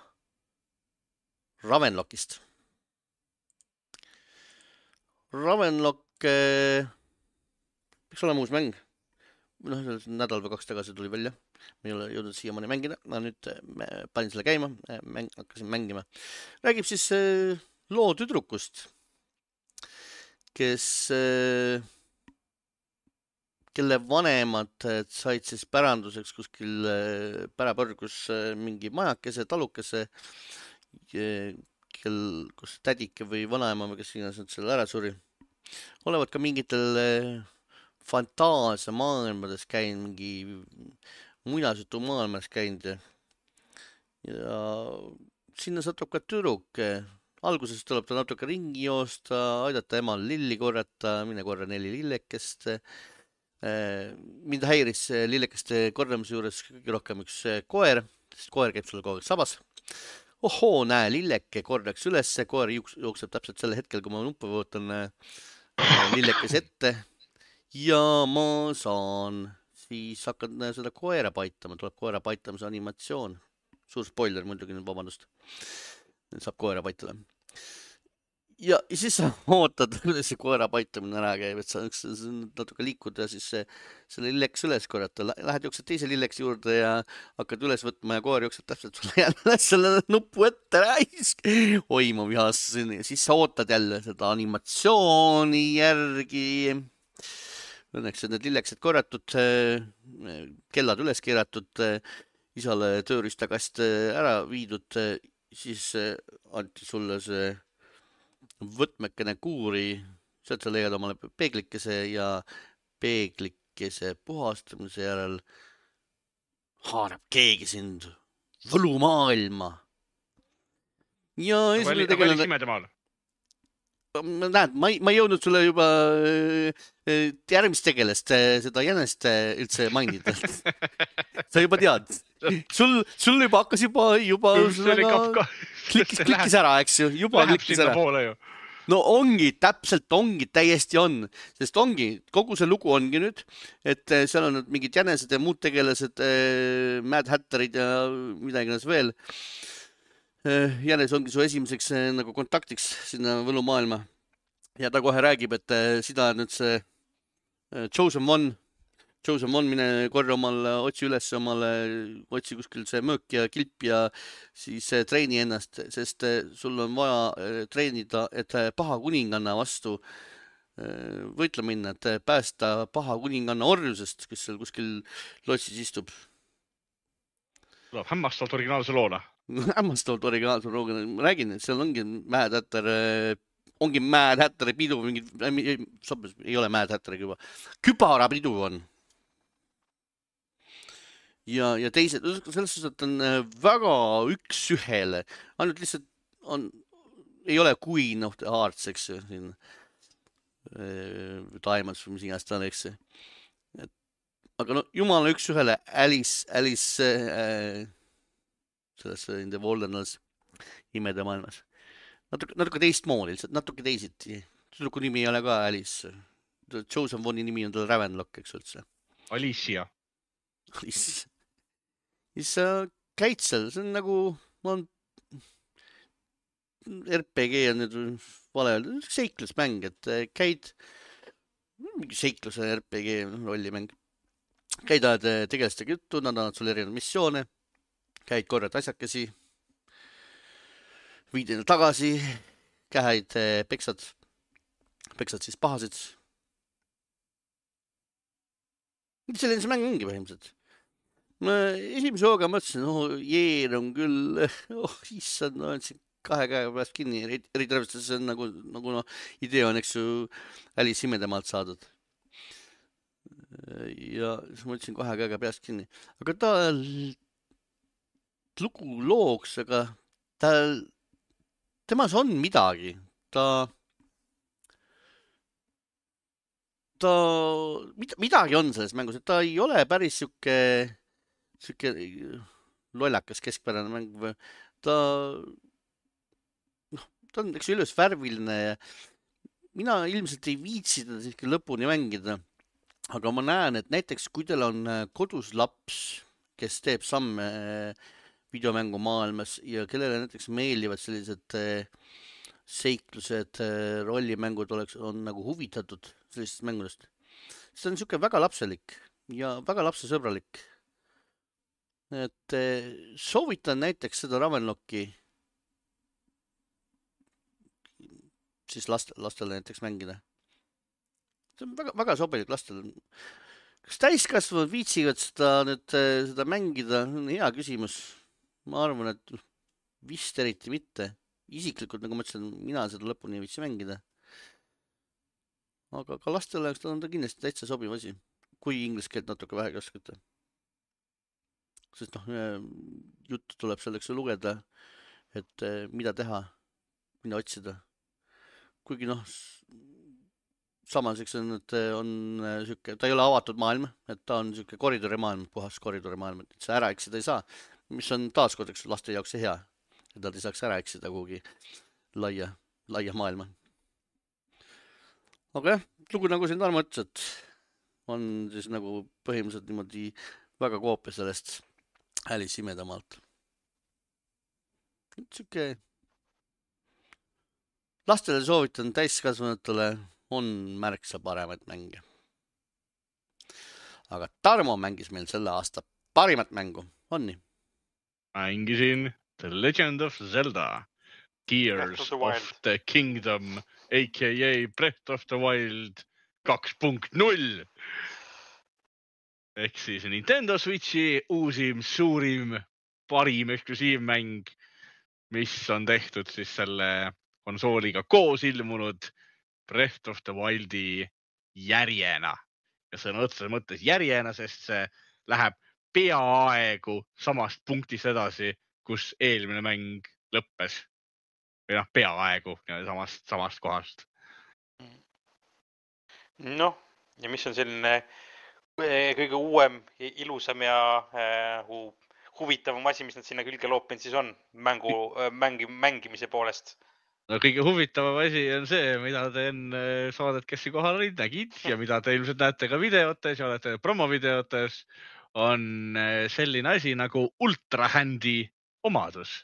Ravenlockist. Ravenlock peaks olema uus mäng. No, nädal või kaks tagasi tuli välja. Me ei ole jõudnud siiamaani mängida. Ma nüüd panin selle käima, mäng, hakkasin mängima. Räägib siis loo tüdrukust, kes kelle vanemad said siis päranduseks kuskil pärapõrgus mingi majakese, talukese, kel, kus tädike või vanaema või kes iganes nad selle ära suri. Olevat ka mingitel fantaasia maailmades käinud, mingi muinasjutu maailmas käinud. Ja sinna satub ka tüdruk. Alguses tuleb ta natuke ringi joosta, aidata emal lilli korrata, mine korra neli lillekest. Mind häiris lillekeste korramise juures kõige rohkem üks koer, sest koer käib sulle kogu aeg sabas. Ohoo, näe, lilleke korraks üles, koer jookseb täpselt selle hetkel, kui ma nuppu võotan lillekes ette ja ma saan siis hakkad seda koera paitama, tuleb koera paitamise animatsioon. Suur spoiler muidugi, nüüd vabandust. Saab koera paitada. Ja siis sa ootad, kuidas see koera paitamine ära käib, et sa natuke liikud ja siis selle lilleks üles korrata. Lähed jooksed teise lilleks juurde ja hakkad üles võtma ja koer jookseb täpselt sulle jälle selle nupu ette räisk. Oi, ma vihasin. Siis sa ootad jälle seda animatsiooni järgi. Õnneks need lilleksed korratud, kellad üles keeratud, isale tööristakast ära viidud, siis anti sulle see võtmekene kuuri, sealt sa leiad omale peeglikese ja peeglikese puhastamise järel haarab keegi sind võlumaailma. Ja esimene tegelane... Näed, ma ei, ma ei jõudnud sulle juba järgmist tegelest seda jänest üldse mainida. Sa juba tead. Sul, sul juba hakkas juba, juba klikkis, klikkis ära, eks ju. Juba klikkis ära. No ongi, täpselt ongi, täiesti on. Sest ongi, kogu see lugu ongi nüüd, et seal on mingid jänesed ja muud tegelased, Mad Hatterid ja midagi veel. Jänes ongi su esimeseks nagu kontaktiks sinna võlumaailma. Ja ta kohe räägib, et sida nüüd see Chosen One, Chosen One mine korra omale, otsi üles omale, otsi kuskil see möök ja kilp ja siis treeni ennast, sest sul on vaja treenida, et paha kuninganna vastu võitla minna, et päästa paha kuninganna orjusest, kes seal kuskil lotsis istub. Tuleb hämmastavalt originaalse loona. Hämmastavalt originaalse loona. Ma räägin, et seal ongi Mad Hatter, ongi Mad Hatteri pidu, mingid, ei ole Mad Hatteri juba, kübara pidu on. ja, ja teised, selles suhtes, et on väga üks ühele, ainult lihtsalt on, ei ole Queen of the Hearts, eks ju, siin Diamonds või mis iganes ta on, eks ju. Aga no jumala üks ühele Alice, Alice äh, selles In the Wilderness imede maailmas. Natuke, natuke teistmoodi, lihtsalt natuke teisiti. Tüdruku nimi ei ole ka Alice. Joseph Voni nimi on tal Ravenlock, eks üldse. Alicia. Alicia. Siis sa käid seal, see on nagu, ma on R P G on nüüd vale öelda, seiklusmäng, et käid, mingi seikluse R P G rollimäng. Käid ajad tegelastega juttu, nad annavad sulle erinevaid missioone, käid korrad asjakesi, viid enda tagasi, käid peksad, peksad siis pahasid. Selline see mäng ongi põhimõtteliselt. Ma esimese hooga mõtlesin, oh, jeer on küll, oh, issand, no on siin kahe käega pääst kinni, eriti arvestades see on nagu, nagu no, idee on, eks ju, Alice imedemaalt saadud. Ja siis ma ütlesin kahe käega peast kinni. Aga ta lugu looks, aga ta, temas on midagi. Ta, ta, midagi on selles mängus, et ta ei ole päris siuke, siuke lollakas keskpärane mäng. Ta, noh, ta on, eks ilus värviline ja mina ilmselt ei viitsi teda siiski lõpuni mängida. Aga ma näen, et näiteks kui teil on kodus laps, kes teeb samme videomängu maailmas ja kellele näiteks meeldivad sellised seiklused, rollimängud oleks, on nagu huvitatud sellisest mängudest. See on niisugune väga lapselik ja väga lapsesõbralik. Et soovitan näiteks seda Ravenlocki siis last, lastele näiteks mängida. See on väga, väga sobilik lastel. Kas täiskasvanud viitsivad seda, nüüd, seda mängida? On hea küsimus. Ma arvan, et vist eriti mitte. Isiklikult, nagu ma ütlesin, mina seda lõpuni ei viitsi mängida. Aga ka lastele on ta kindlasti täitsa sobiv asi. Kui inglise keelt natuke vähegi oskate. Sest noh, juttu tuleb selleks lugeda, et mida teha, mida otsida. Kuigi noh, samas, eks on, et on siuke, ta ei ole avatud maailm, et ta on siuke koridori maailm, puhas koridori maailm, et see ära eksida ei saa, mis on taaskord, eks laste jaoks hea, et nad ei saaks ära eksida kuhugi laia, laia maailma. Aga jah, lugu nagu siin Tarmo ütles, et on siis nagu põhimõtteliselt niimoodi väga koopia sellest Alice imedemaalt. Siuke lastele soovitan, täiskasvanutele on märksa paremaid mänge. Aga Tarmo mängis meil selle aasta parimat mängu. On nii? Mängisin The Legend of Zelda, Tears of the, of the Kingdom, a k a. Breath of the Wild kaks punkt null. Ehk siis Nintendo Switchi uusim, suurim, parim eksklusiivmäng, mis on tehtud siis selle konsooliga koos ilmunud Breath of the Wildi järjena. Ja sõna otseses mõttes järjena, sest see läheb peaaegu samast punktist edasi, kus eelmine mäng lõppes. Või noh, peaaegu samast, samast kohast. Noh, ja mis on selline kõige uuem, ilusam ja äh, huvitavam asi, mis nad sinna külge loopinud siis on mängu, mängi, mängimise poolest? No kõige huvitavam asi on see, mida te enne saadet, kes siin kohal olid, nägid ja mida te ilmselt näete ka videotes ja olete promovideotes, on selline asi nagu ultrahändi omadus,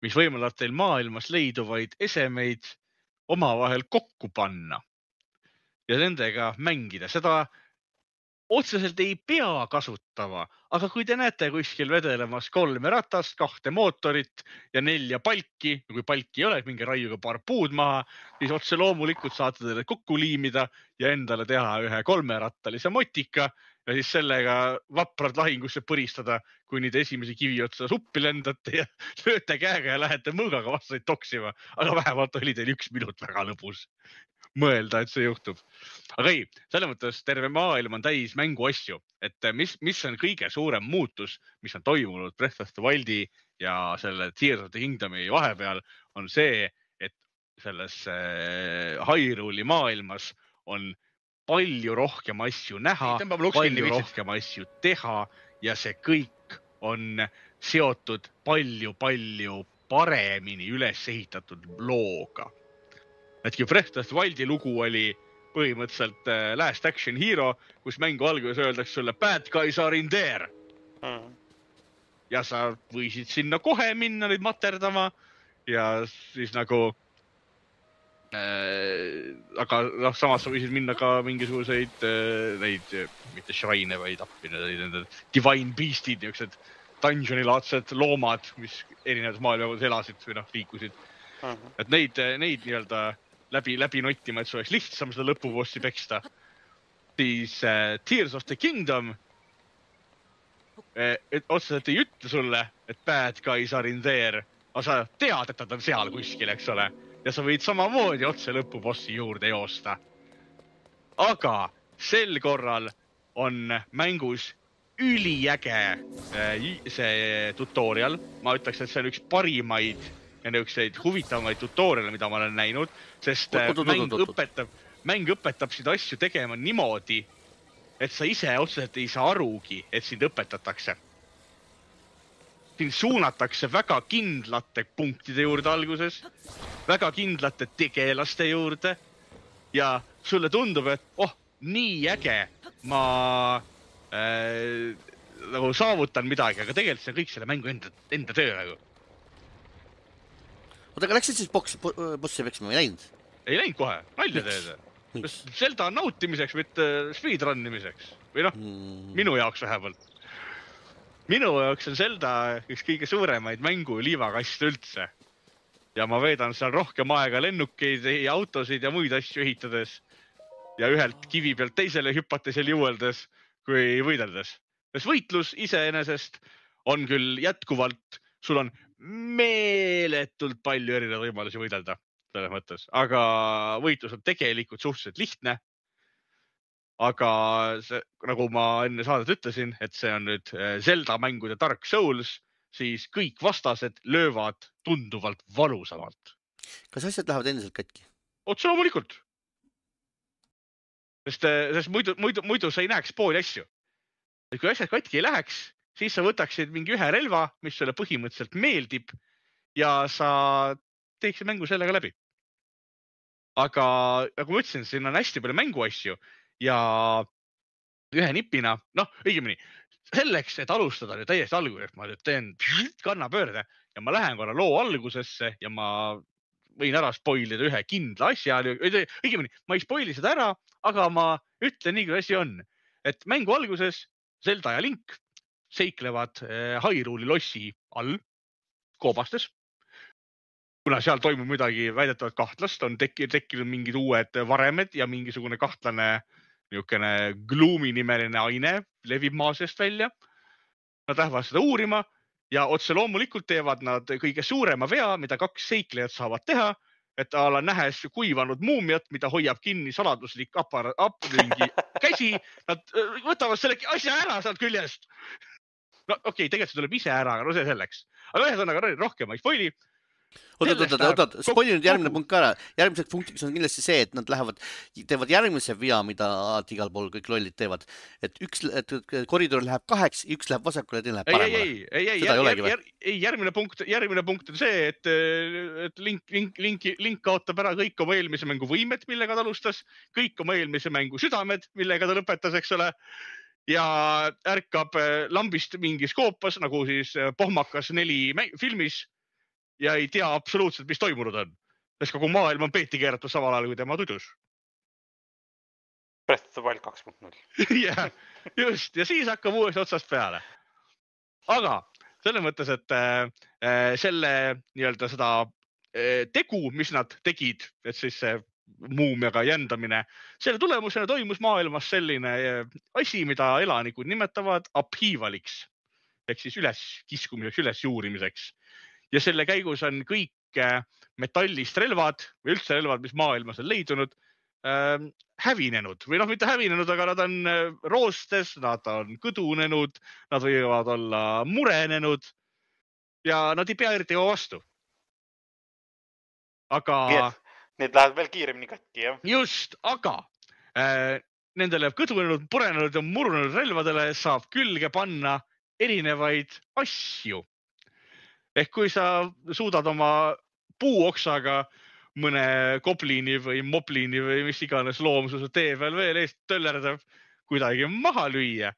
mis võimaldab teil maailmas leiduvaid esemeid omavahel kokku panna ja nendega mängida. Seda otseselt ei pea kasutama, aga kui te näete kuskil vedelemas kolme ratast, kahte mootorit ja nelja palki, kui palki ei ole, minge raiuga paar puud maha, siis otse loomulikult saate teile kokku liimida ja endale teha ühe kolmerattalise motika ja siis sellega vaprad lahingusse põristada, kuni te esimese kivi otsa suppi lendate ja lööte käega ja lähete mõõgaga vastaid toksima. Aga vähemalt oli teil üks minut väga lõbus. mõelda, et see juhtub. Aga ei, selle mõttes terve maailm on täis mänguasju, et mis, mis on kõige suurem muutus, mis on toimunud Breath of the Wildi ja selle Tears of the Kingdomi vahepeal, on see, et selles Hyrule'i maailmas on palju rohkem asju näha, palju rohkem asju teha ja see kõik on seotud palju-palju paremini üles ehitatud looga. Et kui Breath of the Wildi lugu oli põhimõtteliselt Last Action Hero, kus mängu alguses öeldakse sulle bad guys are in there. Mm. Ja sa võisid sinna kohe minna neid materdama ja siis nagu äh, aga noh, samas sa võisid minna ka mingisuguseid äh, neid, mitte shrine, vaid appi need divine beastid, niisugused dungeoni-laadsed loomad, mis erinevad maailmas elasid või noh, liikusid. Mm. Et neid, neid nii-öelda läbi, läbi nottima, et see oleks lihtsam seda lõpubossi peksta. Siis uh, Tears of the Kingdom et otseselt ei ütle sulle, et bad guys are in there, aga sa tead, et nad on seal kuskil, eks ole. Ja sa võid samamoodi otse lõpubossi juurde joosta. Aga sel korral on mängus üliäge see tutorial. Ma ütleks, et see on üks parimaid ja niisuguseid huvitavamaid tutoriale, mida ma olen näinud, sest oot, oot, mäng, oot, oot. Õpetab, mäng õpetab seda asju tegema niimoodi, et sa ise otseselt ei saa arugi, et sind õpetatakse. Sind suunatakse väga kindlate punktide juurde alguses, väga kindlate tegelaste juurde ja sulle tundub, et oh, nii äge, ma äh, nagu saavutan midagi, aga tegelikult see on kõik selle mängu enda, enda töö nagu. Oota, aga läksid siis boksi, bossi peksima, ei läinud? Ei läinud kohe, nalja teed. Zelda nautimiseks, mitte speedrunnimiseks. Või noh, mm. minu jaoks vähemalt. Minu jaoks on Zelda üks kõige suuremaid mängu liivakast üldse. Ja ma veedan seal rohkem aega lennukeid ja autosid ja muid asju ehitades. Ja ühelt kivi pealt teisele hüpates ja liueldes, kui võideldes. Sest võitlus iseenesest on küll jätkuvalt, sul on meeletult palju erinevaid võimalusi võidelda selles mõttes, aga võitlus on tegelikult suhteliselt lihtne. Aga see, nagu ma enne saadet ütlesin, et see on nüüd Zelda mängude Dark Souls, siis kõik vastased löövad tunduvalt valusamalt. Kas asjad lähevad endiselt katki? Otse loomulikult. Sest, sest muidu, muidu, muidu sa ei näeks pooli asju. Et kui asjad katki ei läheks, siis sa võtaksid mingi ühe relva, mis sulle põhimõtteliselt meeldib ja sa teeksid mängu sellega läbi. Aga nagu ma ütlesin, siin on hästi palju mänguasju ja ühe nipina, noh, õigemini, selleks, et alustada nüüd täiesti alguses, ma nüüd teen kannapöörde ja ma lähen korra loo algusesse ja ma võin ära spoilida ühe kindla asja. Õigemini, ma ei spoili seda ära, aga ma ütlen nii, kui asi on. Et mängu alguses Zelda ja Link seiklevad Hyrule'i lossi all koobastes. Kuna seal toimub midagi väidetavalt kahtlast, on tekkinud, tekkinud mingid uued varemed ja mingisugune kahtlane niisugune Gloomi nimeline aine levib maa seest välja. Nad lähevad seda uurima ja otse loomulikult teevad nad kõige suurema vea, mida kaks seiklejat saavad teha, et ala nähes kuivanud muumiat, mida hoiab kinni saladuslik apar, apringi käsi. Nad võtavad selle asja ära sealt küljest. No okei, okay, tegelikult see tuleb ise ära, aga no see selleks. Aga ühesõnaga rohkem ei spoili. Oot, oot, oot, oot, spoili nüüd järgmine punkt ka ära. Järgmiseks punktiks on kindlasti see, et nad lähevad, teevad järgmise vea, mida igal pool kõik lollid teevad. Et üks et koridor läheb kaheks, üks läheb vasakule ja teine läheb paremale. Ei, ei, ei, ei, ei, jär, ei järgmine, punkt, järgmine punkt on see, et, et link, link, link, link kaotab ära kõik oma eelmise mängu võimed, millega ta alustas, kõik oma eelmise mängu südamed, millega ta lõpetas, eks ole. Ja ärkab lambist mingis koopas, nagu siis Pohmakas neli filmis ja ei tea absoluutselt, mis toimunud on. Sest kogu maailm on peeti keeratud samal ajal, kui tema tudus. Breath of the Wild kaks punkt null. Ja, just. Ja siis hakkab uuesti otsast peale. Aga selles mõttes, et äh, selle nii-öelda seda äh, tegu, mis nad tegid, et siis see muumiaga jändamine. Selle tulemusena toimus maailmas selline asi, mida elanikud nimetavad upheavaliks, ehk siis üles kiskumiseks, üles juurimiseks. Ja selle käigus on kõik metallist relvad või üldse relvad, mis maailmas on leidunud, äh, hävinenud või noh, mitte hävinenud, aga nad on roostes, nad on kõdunenud, nad võivad olla murenenud ja nad ei pea eriti kaua vastu. Aga... Need lähevad veel kiiremini katki, jah? Just, aga äh, nendele kõdunenud, purenenud ja murunenud relvadele saab külge panna erinevaid asju. Ehk kui sa suudad oma puuoksaga mõne kobliini või mobliini või mis iganes loomsuse tee peal veel eest töllerdab kuidagi maha lüüa,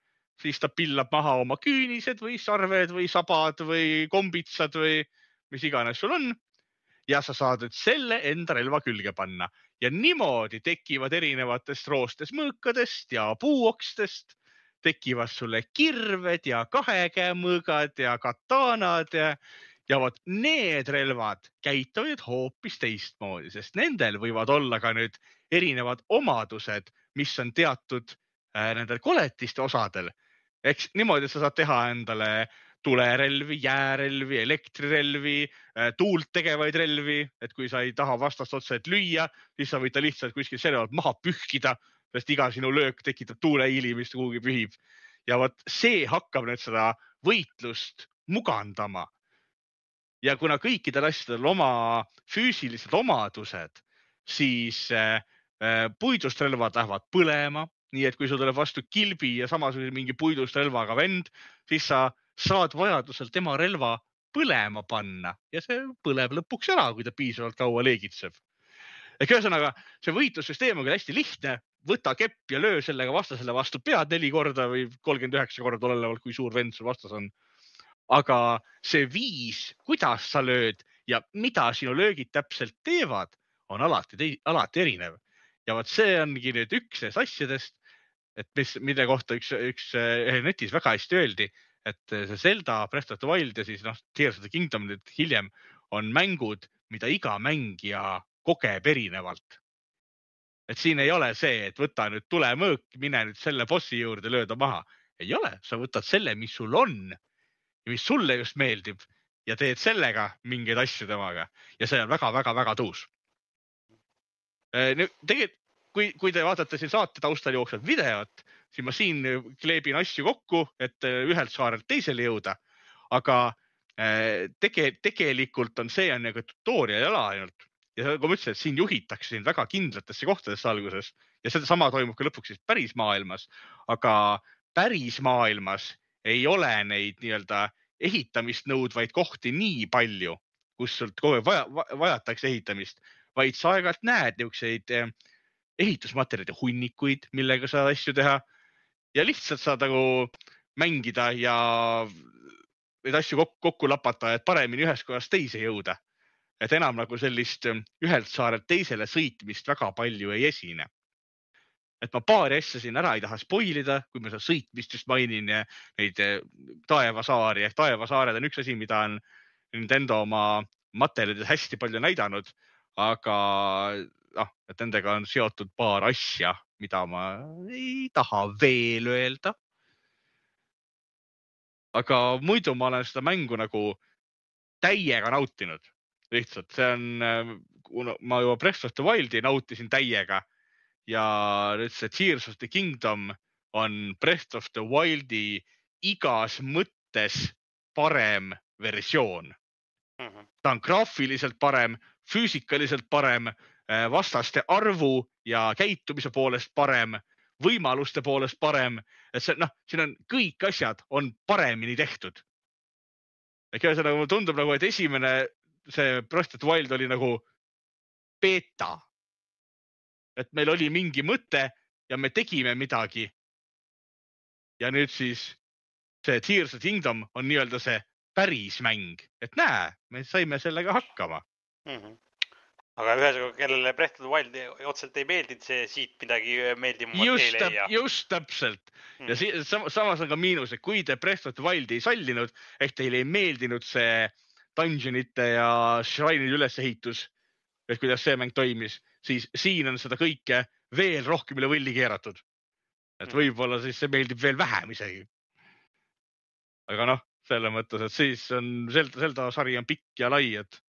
siis ta pillab maha oma küünised või sarved või sabad või kombitsad või mis iganes sul on. Ja sa saad nüüd selle enda relva külge panna. Ja niimoodi tekivad erinevatest roostes mõõkadest ja puuokstest, tekivad sulle kirved ja kahekäemõõgad ja kataanad ja Ja vot need relvad käituvad hoopis teistmoodi, sest nendel võivad olla ka nüüd erinevad omadused, mis on teatud äh, nendel koletiste osadel. Eks niimoodi sa saad teha endale tulerelvi, jäärelvi, elektrirelvi, äh, tuult tegevaid relvi, et kui sa ei taha vastast otseselt lüüa, siis sa võid ta lihtsalt kuskil selle alt maha pühkida, sest iga sinu löök tekitab tuuleiili, mis kuhugi pühib. Ja vot see hakkab nüüd seda võitlust mugandama. Ja kuna kõikidel asjadel oma füüsilised omadused, siis äh, puidust relvad lähevad põlema, nii et kui sul tuleb vastu kilbi ja samasugune mingi puidust relvaga vend, siis sa saad vajadusel tema relva põlema panna ja see põleb lõpuks ära, kui ta piisavalt kaua leegitseb. Ehk ühesõnaga, see võitlussüsteem on hästi lihtne, võta kepp ja löö sellega vastasele vastu pead neli korda või kolmkümmend üheksa korda olevalt, kui suur vend sul vastas on. Aga see viis, kuidas sa lööd ja mida sinu löögid täpselt teevad, on alati, alati erinev. Ja vot see ongi nüüd üks asjadest, et mis, mille kohta üks, üks netis väga hästi öeldi, et see Zelda, Breath of the Wild ja siis noh, Tears of the Kingdom nüüd hiljem on mängud, mida iga mängija kogeb erinevalt. Et siin ei ole see, et võta nüüd tulemõõk, mine nüüd selle bossi juurde lööda maha. Ei ole, sa võtad selle, mis sul on. Mis sulle just meeldib ja teed sellega mingeid asju temaga. Ja see on väga-väga-väga tuus. Tegelikult, kui, kui te vaatate siin saate taustal jooksvat videot, siis ma siin kleebin asju kokku, et ühelt saarelt teisele jõuda. Aga tege, tegelikult on see on nagu tutorial jala ainult. Ja kui ma ütlesin, et siin juhitakse siin väga kindlatesse kohtadesse alguses ja seda sama toimub ka lõpuks siis päris maailmas. Aga päris maailmas ei ole neid nii-öelda ehitamist nõudvaid kohti nii palju, kus sult kogu vaja, vajatakse ehitamist, vaid sa aegalt näed niisuguseid ehitusmaterjalide hunnikuid, millega saad asju teha ja lihtsalt saad nagu mängida ja neid asju kokku, kokku lapata, et paremini ühest kohast teise jõuda. Et enam nagu sellist ühelt saarelt teisele sõitmist väga palju ei esine. Et ma paari asja siin ära ei taha spoilida, kui ma seda sõitmist just mainin ja neid taevasaari. Ehk taevasaared on üks asi, mida on Nintendo oma materjalides hästi palju näidanud, aga noh, et nendega on seotud paar asja, mida ma ei taha veel öelda. Aga muidu ma olen seda mängu nagu täiega nautinud. Lihtsalt see on, ma juba Breath of the Wildi nautisin täiega. Ja nüüd see Tears of the Kingdom on Breath of the Wildi igas mõttes parem versioon. Mm-hmm. Ta on graafiliselt parem, füüsikaliselt parem, vastaste arvu ja käitumise poolest parem, võimaluste poolest parem. Et see, noh, siin on kõik asjad on paremini tehtud. Ehk ühesõnaga mulle tundub nagu, et esimene see Breath of the Wild oli nagu beta. Et meil oli mingi mõte ja me tegime midagi. Ja nüüd siis see Tears of the Kingdom on nii-öelda see päris mäng. Et näe, me saime sellega hakkama. Mm-hmm. Aga ühesõnaga, kellele Breath of the Wild otseselt ei meeldinud, see siit midagi meeldib just, täp, just täpselt. Mm-hmm. Ja si samas on ka miinus, et kui te Breath of the Wild ei sallinud, ehk teile ei meeldinud see dungeonite ja shrine'ide ülesehitus, et kuidas see mäng toimis, siis siin on seda kõike veel rohkem üle võlli keeratud. Et võib-olla siis see meeldib veel vähem isegi. Aga noh, selle mõttes, et siis on Zelda, Zelda sari on pikk ja lai, et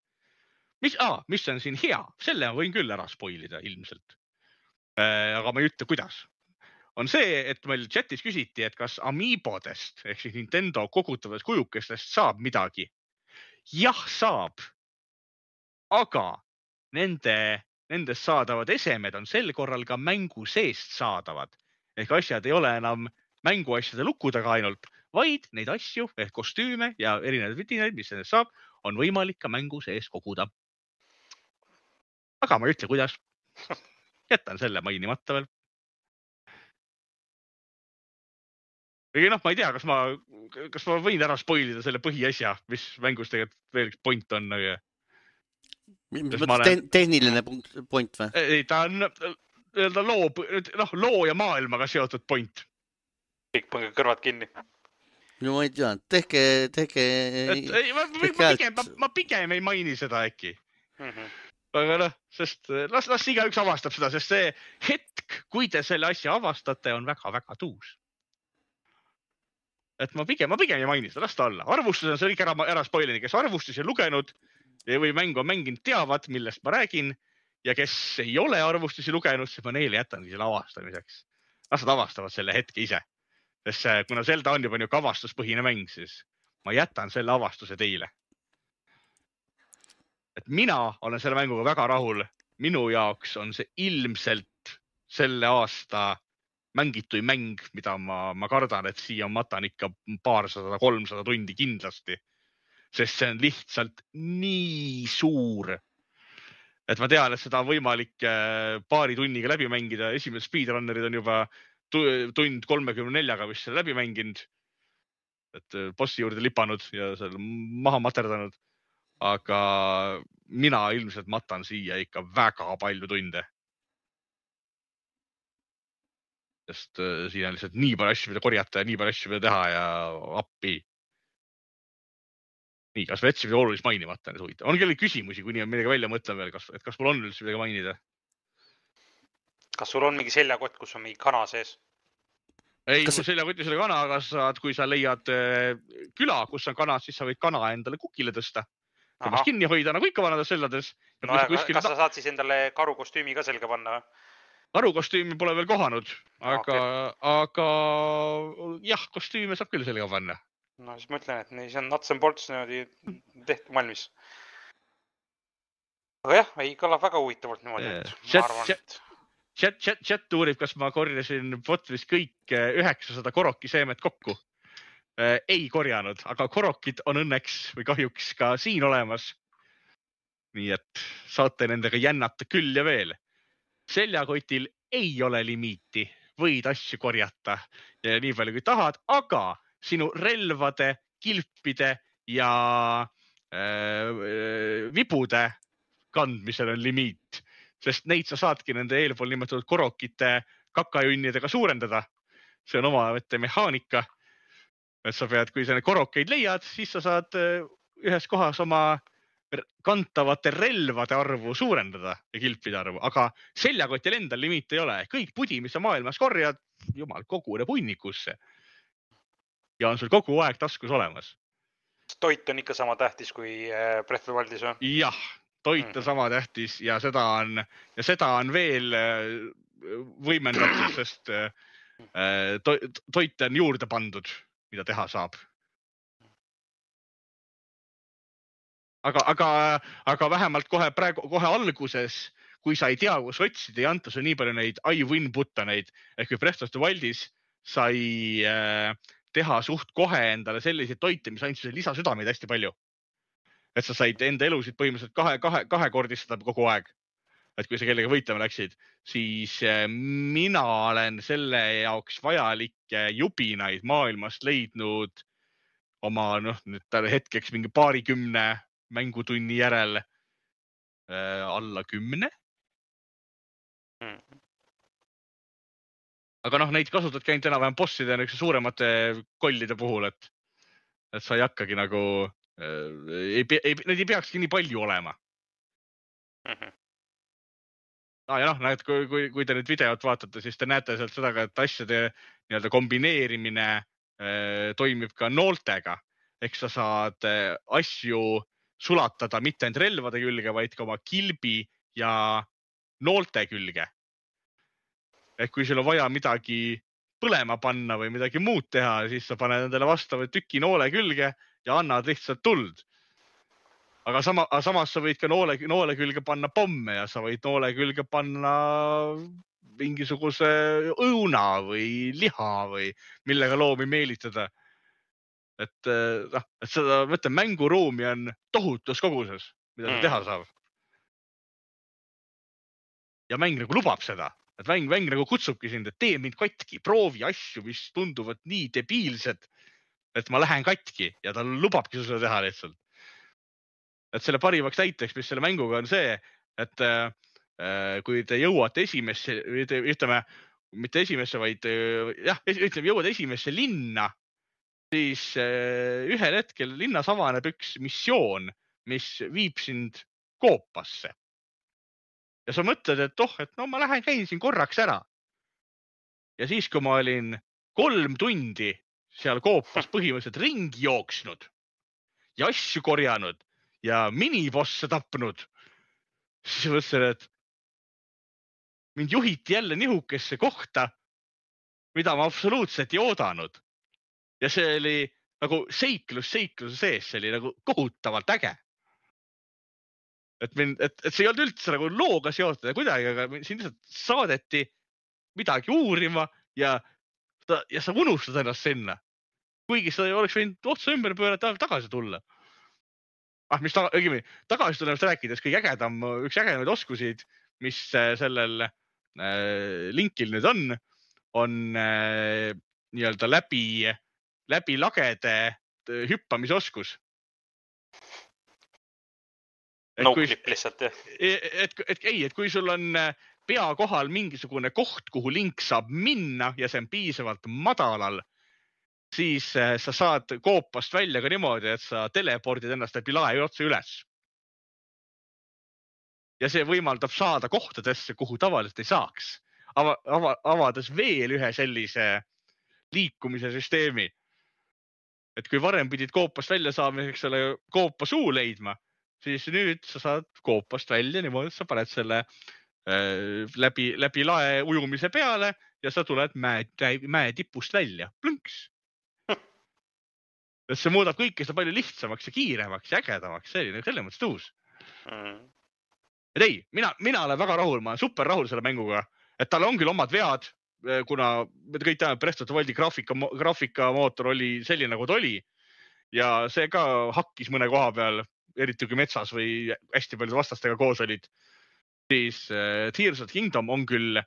mis, ah, mis on siin hea, selle võin küll ära spoilida ilmselt. aga ma ei ütle, kuidas. On see, et meil chatis küsiti, et kas Amiibodest ehk siis Nintendo kogutavatest kujukestest saab midagi. Jah, saab. Aga nende, nendest saadavad esemed on sel korral ka mängu seest saadavad. Ehk asjad ei ole enam mänguasjade lukkudega ainult, vaid neid asju ehk kostüüme ja erinevaid vidinaid, mis nendest saab, on võimalik ka mängu sees koguda. Aga ma ei ütle, kuidas. Jätan selle mainimata veel. Või noh, ma ei tea, kas ma, kas ma võin ära spoilida selle põhiasja, mis mängus tegelikult veel üks point on. Mis mõttes tehniline point või? Ei, ta on loo, noh, loo ja maailmaga seotud point. Kõik pange kõrvad kinni. No ma ei tea, tehke, tehke... Et, ei, ma, ma, pigem, ma, ma pigem ei maini seda äkki. Mm-hmm. Aga noh, sest las, las iga üks avastab seda, sest see hetk, kui te selle asja avastate, on väga-väga tuus. Et ma pigem, ma pigem ei maini seda, las ta olla. Arvustus on see kõik ära, ära spoilini, kes arvustusi lugenud või mängu on mänginud, teavad, millest ma räägin. Ja kes ei ole arvustusi lugenud, siis ma neile jätangi selle avastamiseks. Las nad avastavad selle hetke ise. Sest kuna Zelda on juba nii kavastuspõhine mäng, siis ma jätan selle avastuse teile. Et mina olen selle mänguga väga rahul. Minu jaoks on see ilmselt selle aasta mängitui mäng, mida ma, ma kardan, et siia matan ikka paarsada, kolmsada tundi kindlasti. Sest see on lihtsalt nii suur. Et ma tean, et seda on võimalik paari tunniga läbi mängida. Esimesed speedrunnerid on juba tund kolmekümne neljaga vist selle läbi mänginud. Et bossi juurde lipanud ja seal maha materdanud. Aga mina ilmselt matan siia ikka väga palju tunde. Sest siin on lihtsalt nii palju asju, mida korjata ja nii palju asju, mida teha ja appi. Nii, kas me jätsime olulist mainimata? On kellel küsimusi, kui nii on midagi välja mõtlen veel, kas, et kas mul on üldse midagi mainida? Kas sul on mingi seljakott, kus on mingi kana sees? Ei, kas... seljakotis oli kana, aga saad, kui sa leiad küla, kus on kana, siis sa võid kana endale kukile tõsta. Temast kinni hoida, nagu ikka vanades sellades. No, ja kuskil... Kas sa saad siis endale karukostüümi ka selga panna? Karukostüümi pole veel kohanud, aga, okay. aga jah, kostüüme saab küll selga panna. No siis ma ütlen, et see on nuts and bolts tehtud valmis. Aga jah, ei kõlab väga huvitavalt niimoodi. Chat, chat, chat, chat, chat uurib, kas ma korjasin botvis kõik üheksasada korokiseemet kokku. Ei korjanud, aga korokid on õnneks või kahjuks ka siin olemas. Nii et saate nendega jännata küll ja veel. Seljakotil ei ole limiiti, võid asju korjata ja nii palju kui tahad, aga sinu relvade, kilpide ja äh, vibude kandmisel on limiit, sest neid sa saadki nende eelpool nimetatud korokite kakajunnidega suurendada. See on oma mehaanika, et sa pead, kui sa need korokeid leiad, siis sa saad ühes kohas oma kantavate relvade arvu suurendada ja kilpide arvu, aga seljakotil endal limiit ei ole. Kõik pudi, mis sa maailmas korjad, jumal, kogune punnikusse. Ja on sul kogu aeg taskus olemas. Toit on ikka sama tähtis kui Breath of the Wildis või? Jah, toit on sama tähtis ja seda on, ja seda on veel võimendatud, sest to, toit on juurde pandud, mida teha saab. Aga, aga, aga vähemalt kohe, praegu, kohe alguses, kui sa ei tea, kus otsida, ei anta su nii palju neid I win buttoneid, ehk kui Breath of the Wildis sai äh, teha suht kohe endale selliseid toite, mis andsid lisasüdameid hästi palju. Et sa said enda elusid põhimõtteliselt kahe, kahe, kahekordistada kogu aeg. Et kui sa kellega võitlema läksid, siis äh, mina olen selle jaoks vajalikke jubinaid maailmast leidnud oma noh, nüüd hetkeks mingi paarikümne mängutunni järel äh, alla kümne. Hmm. Aga noh, neid kasutadki ainult enam-vähem bosside ja suuremate kollide puhul, et, et sa ei hakkagi nagu, äh, ei, ei, need ei peakski nii palju olema. Hmm. Ah, ja noh, näed, kui, kui, kui te nüüd videot vaatate, siis te näete sealt seda, et asjade nii-öelda kombineerimine äh, toimib ka nooltega. Ehk sa saad äh, asju sulatada mitte ainult relvade külge, vaid ka oma kilbi ja noolte külge. et kui sul on vaja midagi põlema panna või midagi muud teha, siis sa paned endale vastava tüki noole külge ja annad lihtsalt tuld. Aga sama, samas sa võid ka noole, noole külge panna pomme ja sa võid noole külge panna mingisuguse õuna või liha või millega loomi meelitada. Et, noh, et seda, ma ütlen, mänguruumi on tohutus koguses, mida mm. teha saab. Ja mäng nagu lubab seda, et mäng, mäng nagu kutsubki sind, et tee mind katki, proovi asju, mis tunduvad nii debiilsed, et ma lähen katki ja ta lubabki seda teha lihtsalt. Et selle parimaks näiteks, mis selle mänguga on see, et äh, kui te jõuate esimesse, ütleme, mitte esimesse, vaid jah, ütleme, jõuad esimesse linna, siis äh, ühel hetkel linnas avaneb üks missioon, mis viib sind koopasse. Ja sa mõtled, et oh, et no ma lähen käin siin korraks ära. Ja siis, kui ma olin kolm tundi seal koopas põhimõtteliselt ringi jooksnud ja asju korjanud ja minibosse tapnud, siis mõtlesin, et mind juhiti jälle nihukesse kohta, mida ma absoluutselt ei oodanud. Ja see oli nagu seiklus seikluse sees, see oli nagu kohutavalt äge. Et, mind, et, et see ei olnud üldse nagu looga seotud ja kuidagi, aga siin lihtsalt saadeti midagi uurima ja, ja sa unustad ennast sinna. Kuigi sa oleks võinud otsa ümber pöörata tagasi tulla. Ah, mis ta, õigemi, tagasi tulemast rääkides, kõige ägedam, üks ägedamaid oskusid, mis sellel äh, linkil nüüd on, on äh, nii-öelda läbi, läbi lagede hüppamise oskus. Noclip lihtsalt, jah. Et, et, et, ei, et kui sul on pea kohal mingisugune koht, kuhu link saab minna ja see on piisavalt madalal, siis sa saad koopast välja ka niimoodi, et sa telepordid ennast läbi lae otse üles. Ja see võimaldab saada kohtadesse, kuhu tavaliselt ei saaks. Ava, ava, avades veel ühe sellise liikumise süsteemi. Et kui varem pidid koopast välja saamiseks selle koopa suu leidma, siis nüüd sa saad koopast välja niimoodi, et sa paned selle äh, läbi, läbi lae ujumise peale ja sa tuled mäe, mäe tipust välja. Plõnks. See muudab kõike seda palju lihtsamaks ja kiiremaks ja ägedamaks. See oli selle mõttes tuus. Mm. Et ei, mina, mina olen väga rahul, ma olen super rahul selle mänguga, et tal on küll omad vead, kuna me kõik teame, Breath of the Wildi graafika, graafikamootor oli selline, nagu ta oli ja see ka hakkis mõne koha peal, eriti kui metsas või hästi palju vastastega koos olid, siis Tears of the Kingdom on küll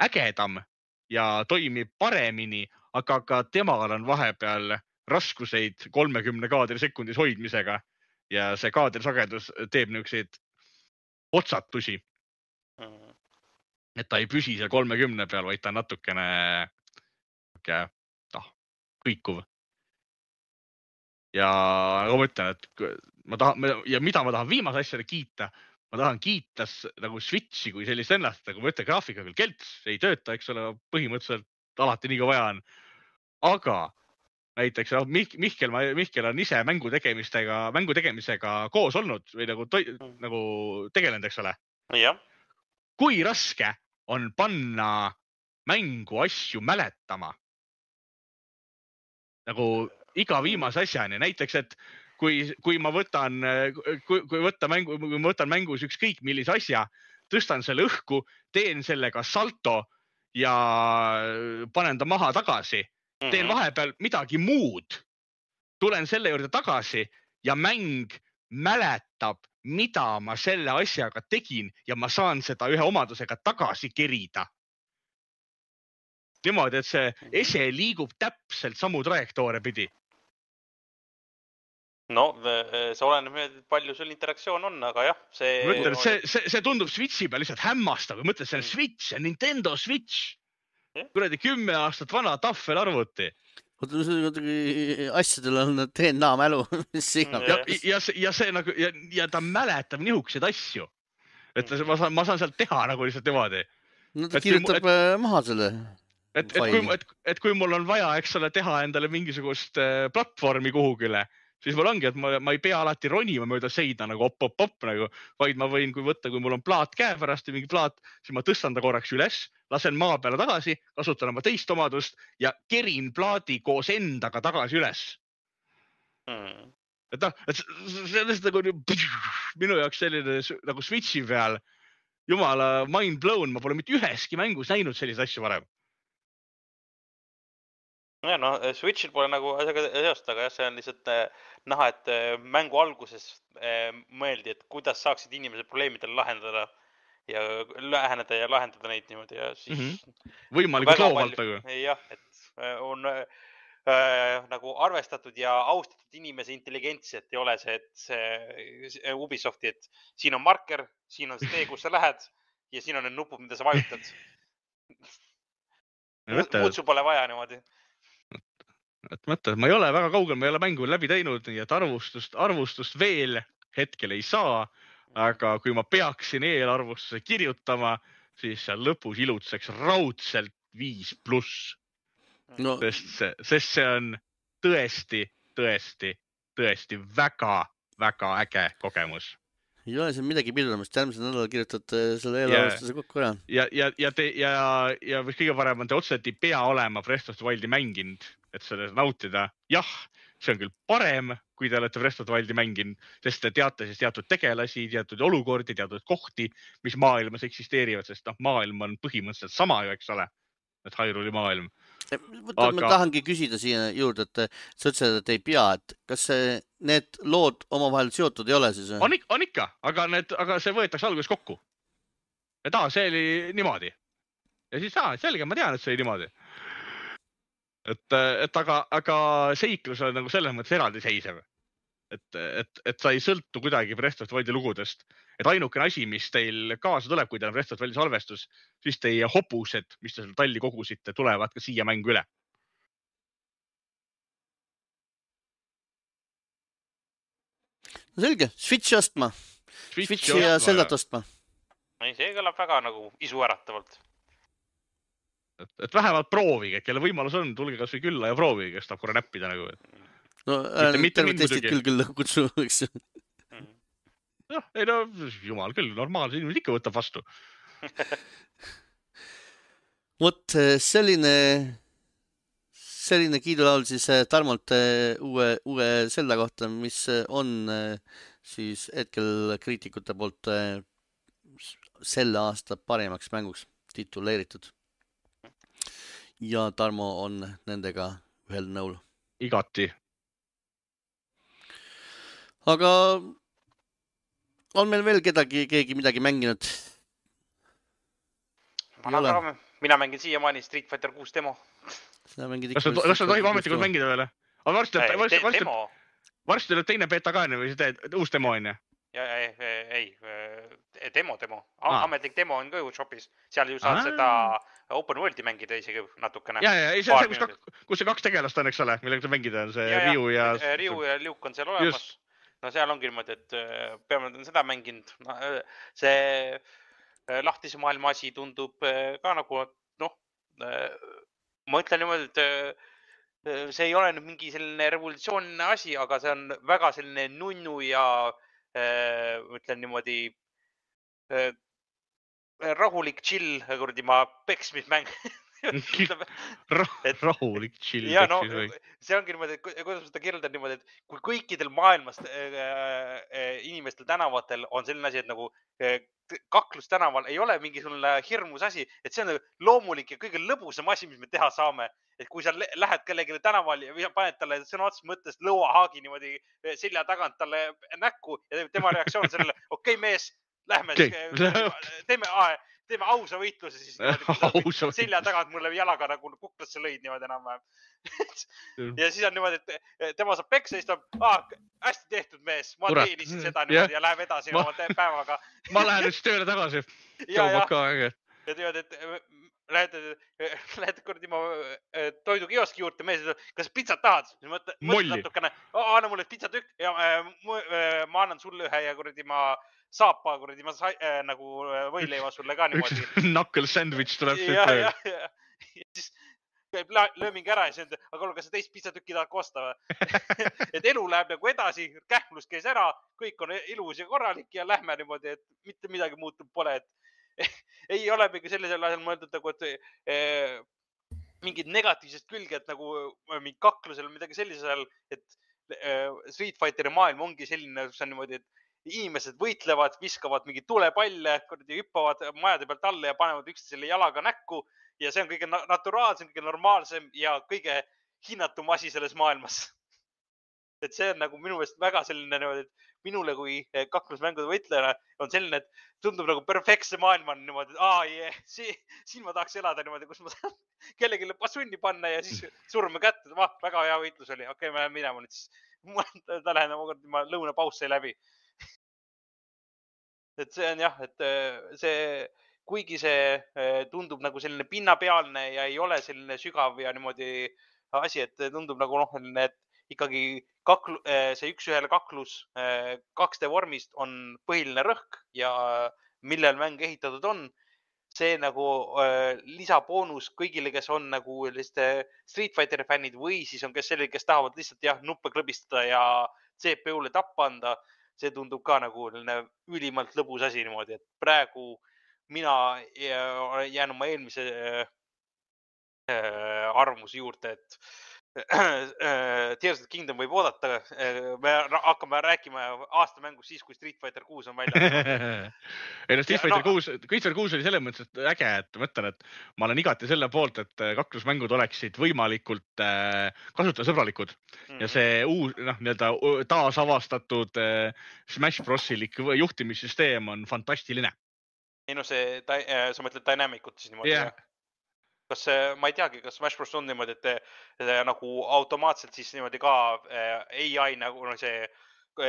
ägedam ja toimib paremini, aga ka temal on vahepeal raskuseid kolmekümne kaadri sekundis hoidmisega ja see kaadrisagedus teeb niisuguseid otsatusi. Et ta ei püsi seal kolmekümne peal, vaid ta on natukene noh, kõikuv. Ja nagu ma ütlen, et ma tahan, ja mida ma tahan viimase asjale kiita, ma tahan kiita nagu Switchi kui sellist ennast, nagu ma ütlen, graafika küll kelts, ei tööta, eks ole, põhimõtteliselt alati nii kui vaja on. Aga näiteks Mihkel, Mihkel on ise mängu tegemistega, mängu tegemisega koos olnud või nagu, toi, nagu tegelenud, eks ole. Ja. Kui raske on panna mängu asju mäletama? Nagu iga viimase asjani, näiteks, et kui, kui ma võtan, kui, kui võtta mängu, kui ma võtan mängus ükskõik millise asja, tõstan selle õhku, teen sellega salto ja panen ta maha tagasi, teen vahepeal midagi muud, tulen selle juurde tagasi ja mäng mäletab, mida ma selle asjaga tegin ja ma saan seda ühe omadusega tagasi kerida. Niimoodi, et see ese liigub täpselt samu trajektoore pidi. No, see oleneb, palju sul interaktsioon on, aga jah, see... Mõtlen, see, see, see tundub Switchi peal lihtsalt hämmastav. Mõtlen, see on Switch, see on Nintendo Switch. Kuradi kümme aastat vana tahvel arvuti. Asjadel on D N A mälu. ja, ja, ja, see nagu, ja, ja ta mäletab nihuksed asju. Et ma saan, ma saan sealt teha nagu lihtsalt niimoodi. No ta kirjutab et, maha selle. Et, et, kui, et, et kui mul on vaja, eks ole, teha endale mingisugust platvormi kuhugile, siis mul ongi, et ma, ma ei pea alati ronima mööda seina nagu op-op-op nagu, vaid ma võin, kui võtta, kui mul on plaat käe pärast ja mingi plaat, siis ma tõstan ta korraks üles, lasen maa peale tagasi, kasutan oma teist omadust ja kerin plaadi koos endaga tagasi üles. Hmm. Et noh, et sellest nagu minu jaoks selline nagu Switchi peal jumala mind blown, ma pole mitte üheski mängus näinud sellise asju varem. Ja, no Switchil pole nagu asjaga seost, aga jah, see on lihtsalt näha, et mängu alguses mõeldi, et kuidas saaksid inimesed probleemidele lahendada ja läheneda ja lahendada neid niimoodi ja siis mm -hmm. võimalikult loovalt aga. Jah, et on äh, nagu arvestatud ja austatud inimese intelligentsi, et ei ole see, et see Ubisofti, et siin on marker, siin on see tee, kus sa lähed ja siin on need nupud, mida sa vajutad. Muud sul pole vaja niimoodi. Et mõtle, ma ei ole väga kaugel, ma ei ole mängu läbi teinud, nii et arvustust, arvustust veel hetkel ei saa, aga kui ma peaksin eelarvustuse kirjutama, siis seal lõpus ilutseks raudselt viis pluss. No. Sest, see, sest see on tõesti, tõesti, tõesti väga, väga äge kogemus. Ei ole see midagi pidurdamist, järgmisel nädalal kirjutad selle eelarvustuse kokku ära. Ja, ja, ja, te, ja, ja mis kõige parem on, te otseselt ei pea olema Breath of the Wildi mänginud, et seda nautida. Jah, see on küll parem, kui te olete Breath of the Wildi mänginud, sest te teate siis teatud tegelasi, teatud olukordi, teatud kohti, mis maailmas eksisteerivad, sest noh, maailm on põhimõtteliselt sama ju, eks ole, et Hyrule maailm. Võtta, aga... ma tahangi küsida siia juurde, et sa ütlesid, et ei pea, et kas see, need lood omavahel seotud ei ole siis? On, on ikka, aga, need, aga see võetakse alguses kokku. Et aa, see oli niimoodi. Ja siis aa, selge, ma tean, et see oli niimoodi. Et, et aga, aga seiklus on nagu selles mõttes eraldi seisev. Et, et, et sa ei sõltu kuidagi Breath of the Wildi lugudest. Et ainukene asi, mis teil kaasa tuleb, kui teil on Breath of the Wildi salvestus, siis teie hobused, mis te seal talli kogusite, tulevad ka siia mängu üle. No selge, Switchi ostma. Switchi, Switchi ja Zeldat ostma. Ei, see kõlab väga nagu isuäratavalt. Et, et vähemalt proovige, kelle võimalus on, tulge kas või külla ja proovige, kes tahab korra näppida nagu. No terve testid küll küll kutsu, eks ju. Noh, ei no, jumal küll, normaalse inimesed ikka võtab vastu. Vot selline, selline kiidulaul siis Tarmolt uue, uue Zelda kohta, mis on siis hetkel kriitikute poolt selle aasta parimaks mänguks tituleeritud. Ja Tarmo on nendega ühel nõul. Igati. Aga on meil veel kedagi, keegi midagi mänginud? Ma mina mängin siiamaani Street Fighter kuus demo. Kas sa tohib ametlikult mängida veel? Varsti tuleb teine beta ka või see uus demo on? Ei, ei, demo, demo. Ametlik demo on ka ju shopis. Seal ju saad seda open world'i mängida isegi natukene. Ja, ja, see on see, kus see kaks tegelast on, eks ole, millega mängida on see Ryu ja... Ryu ja Luke on seal olemas. No seal ongi niimoodi, et peame seda mänginud. See lahtise maailma asi tundub ka nagu, noh, ma ütlen niimoodi, et see ei ole nüüd mingi selline revolutsioonine asi, aga see on väga selline nunnu ja ütlen niimoodi rahulik chill, kurdi ma peksmismäng. Rahulik chill. Ja no, see ongi niimoodi, kuidas ma seda kirjeldan niimoodi, et kui kõikidel maailmast inimestel tänavatel on selline asi, et nagu kaklus tänaval ei ole mingisugune hirmus asi, et see on loomulik ja kõige lõbusam asi, mis me teha saame. Et kui sa lähed kellegile tänaval ja paned talle sõna otseses mõttes lõuahaagi niimoodi selja tagant talle näkku ja tema reaktsioon on sellele, okei okay, mees, lähme, teeme, teeme ausa võitluse siis niimoodi, selja tagant mulle jalaga nagu kuklasse lõid niimoodi enam-vähem. Ja siis on niimoodi, et tema saab peksa ja siis ta, ah, hästi tehtud mees, ma teenisin seda niimoodi ja läheb edasi oma päevaga. Ma lähen nüüd tööle tagasi. Ja, ja, ja tead, et lähed, lähed kordi ma toidukioski juurde, mees, kas pitsat tahad? Molli. Natukene, anna mulle pitsatükk ja ma annan sulle ühe ja kordi ma saapa, kuradi, ma sai, äh, nagu võileiva sulle ka niimoodi. Knuckle sandwich tuleb. Ja, ja, ja. Ja siis käib lööming ära ja siis on, aga kuule, kas sa teist pizzatükki tahad kosta või? Et elu läheb nagu edasi, kähmlus käis ära, kõik on ilus ja korralik ja lähme niimoodi, et mitte midagi muutub pole, et ei ole mingi sellisel asjal mõeldud nagu, et eh, mingid negatiivsed külged nagu mingi kaklusel või midagi sellisel, et eh, Street Fighteri maailm ongi selline, kus on niimoodi, et inimesed võitlevad, viskavad mingeid tulepalle, hüppavad majade pealt alla ja panevad üksteisele jalaga näkku. Ja see on kõige naturaalsem, kõige normaalsem ja kõige hinnatum asi selles maailmas. Et see on nagu minu meelest väga selline, et minule kui kaklusmängude võitlejana on selline, et tundub nagu perfektse maailma on niimoodi, et aa, yeah, see, siin ma tahaks elada niimoodi, kus ma saan kellelegi passunni panna ja siis surme kätte. Va, väga hea võitlus oli. Okei, ma lähen minema nüüd siis. Ta lähen oma lõunapaus sai läbi. Et see on jah, et see... kuigi see tundub nagu selline pinnapealne ja ei ole selline sügav ja niimoodi asi, et tundub nagu noh, et ikkagi kaklu, see üks ühele kaklus kaks D vormist on põhiline rõhk ja millel mäng ehitatud on. See nagu lisaboonus kõigile, kes on nagu Street Fighteri fännid või siis on kes selline, kes tahavad lihtsalt jah, nuppe klõbistada ja C P U-le tappa anda. See tundub ka nagu ülimalt lõbus asi niimoodi, et praegu mina jään oma eelmise arvamuse juurde, et Tears of the Kingdom võib oodata. Me hakkame rääkima aastamängus siis, kui Street Fighter kuus on välja. Ei, no Street Fighter kuus, Street Fighter kuus oli selles mõttes äge, et mõtlen, et ma olen igati selle poolt, et kaklusmängud oleksid võimalikult kasutajasõbralikud. Ja see uus, noh, nii-öelda taasavastatud Smash Brosilik juhtimissüsteem on fantastiline. Ei no see, sa mõtled Dynamicut siis niimoodi? Yeah. Kas ma ei teagi, kas Smash Bros on niimoodi, et nagu automaatselt siis niimoodi ka A I nagu see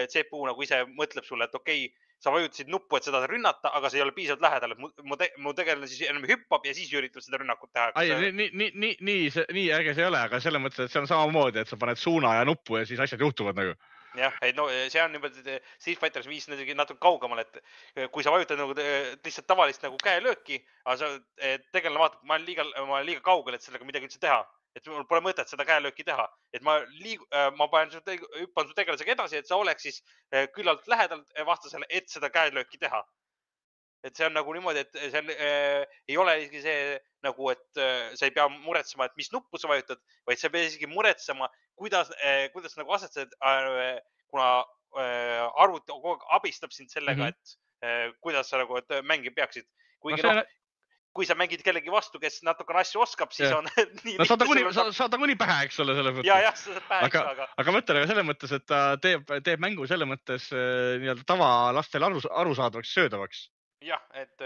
C P U nagu ise mõtleb sulle, et okei, sa vajutasid nuppu, et seda rünnata, aga see ei ole piisavalt lähedal. Mu tegelane siis enam hüppab ja siis üritab seda rünnakut teha. Ai, nii, nii, nii, nii, nii äge see ei ole, aga selle mõttes, et see on samamoodi, et sa paned suuna ja nuppu ja siis asjad juhtuvad nagu. Jah, et no see on niimoodi Street Fighters viis natuke kaugemal, et kui sa vajutad nagu lihtsalt tavalist nagu käelööki, aga sa tegelane vaatab, ma olen liiga, ma olen liiga kaugel, et sellega midagi üldse teha. Et mul pole mõtet seda käelööki teha. Et ma, liig, ma panen su, hüppan su tegelasega edasi, et sa oleks siis küllalt lähedalt vastasele, et seda käelööki teha. Et see on nagu niimoodi, et see on, äh, ei ole isegi see nagu, et äh, sa ei pea muretsema, et mis nuppu sa vajutad, vaid sa pead isegi muretsema, kuidas, äh, kuidas nagu asetsed, äh, kuna äh, arvuti kogu aeg abistab sind sellega, mm -hmm. et äh, kuidas sa nagu, et mängi peaksid. Kuigi no, no, kui sa mängid kellegi vastu, kes natukene asju oskab, siis ja. on nii no, saad kuni, sa, saad kuni pähe, eks ole, selle mõttes. Ja, jah, sa saad pähe, aga, aga... aga mõtlen aga selle mõttes, et ta teeb, teeb mängu selle mõttes nii-öelda tavalastel aru, arusaadavaks söödavaks. Jah, et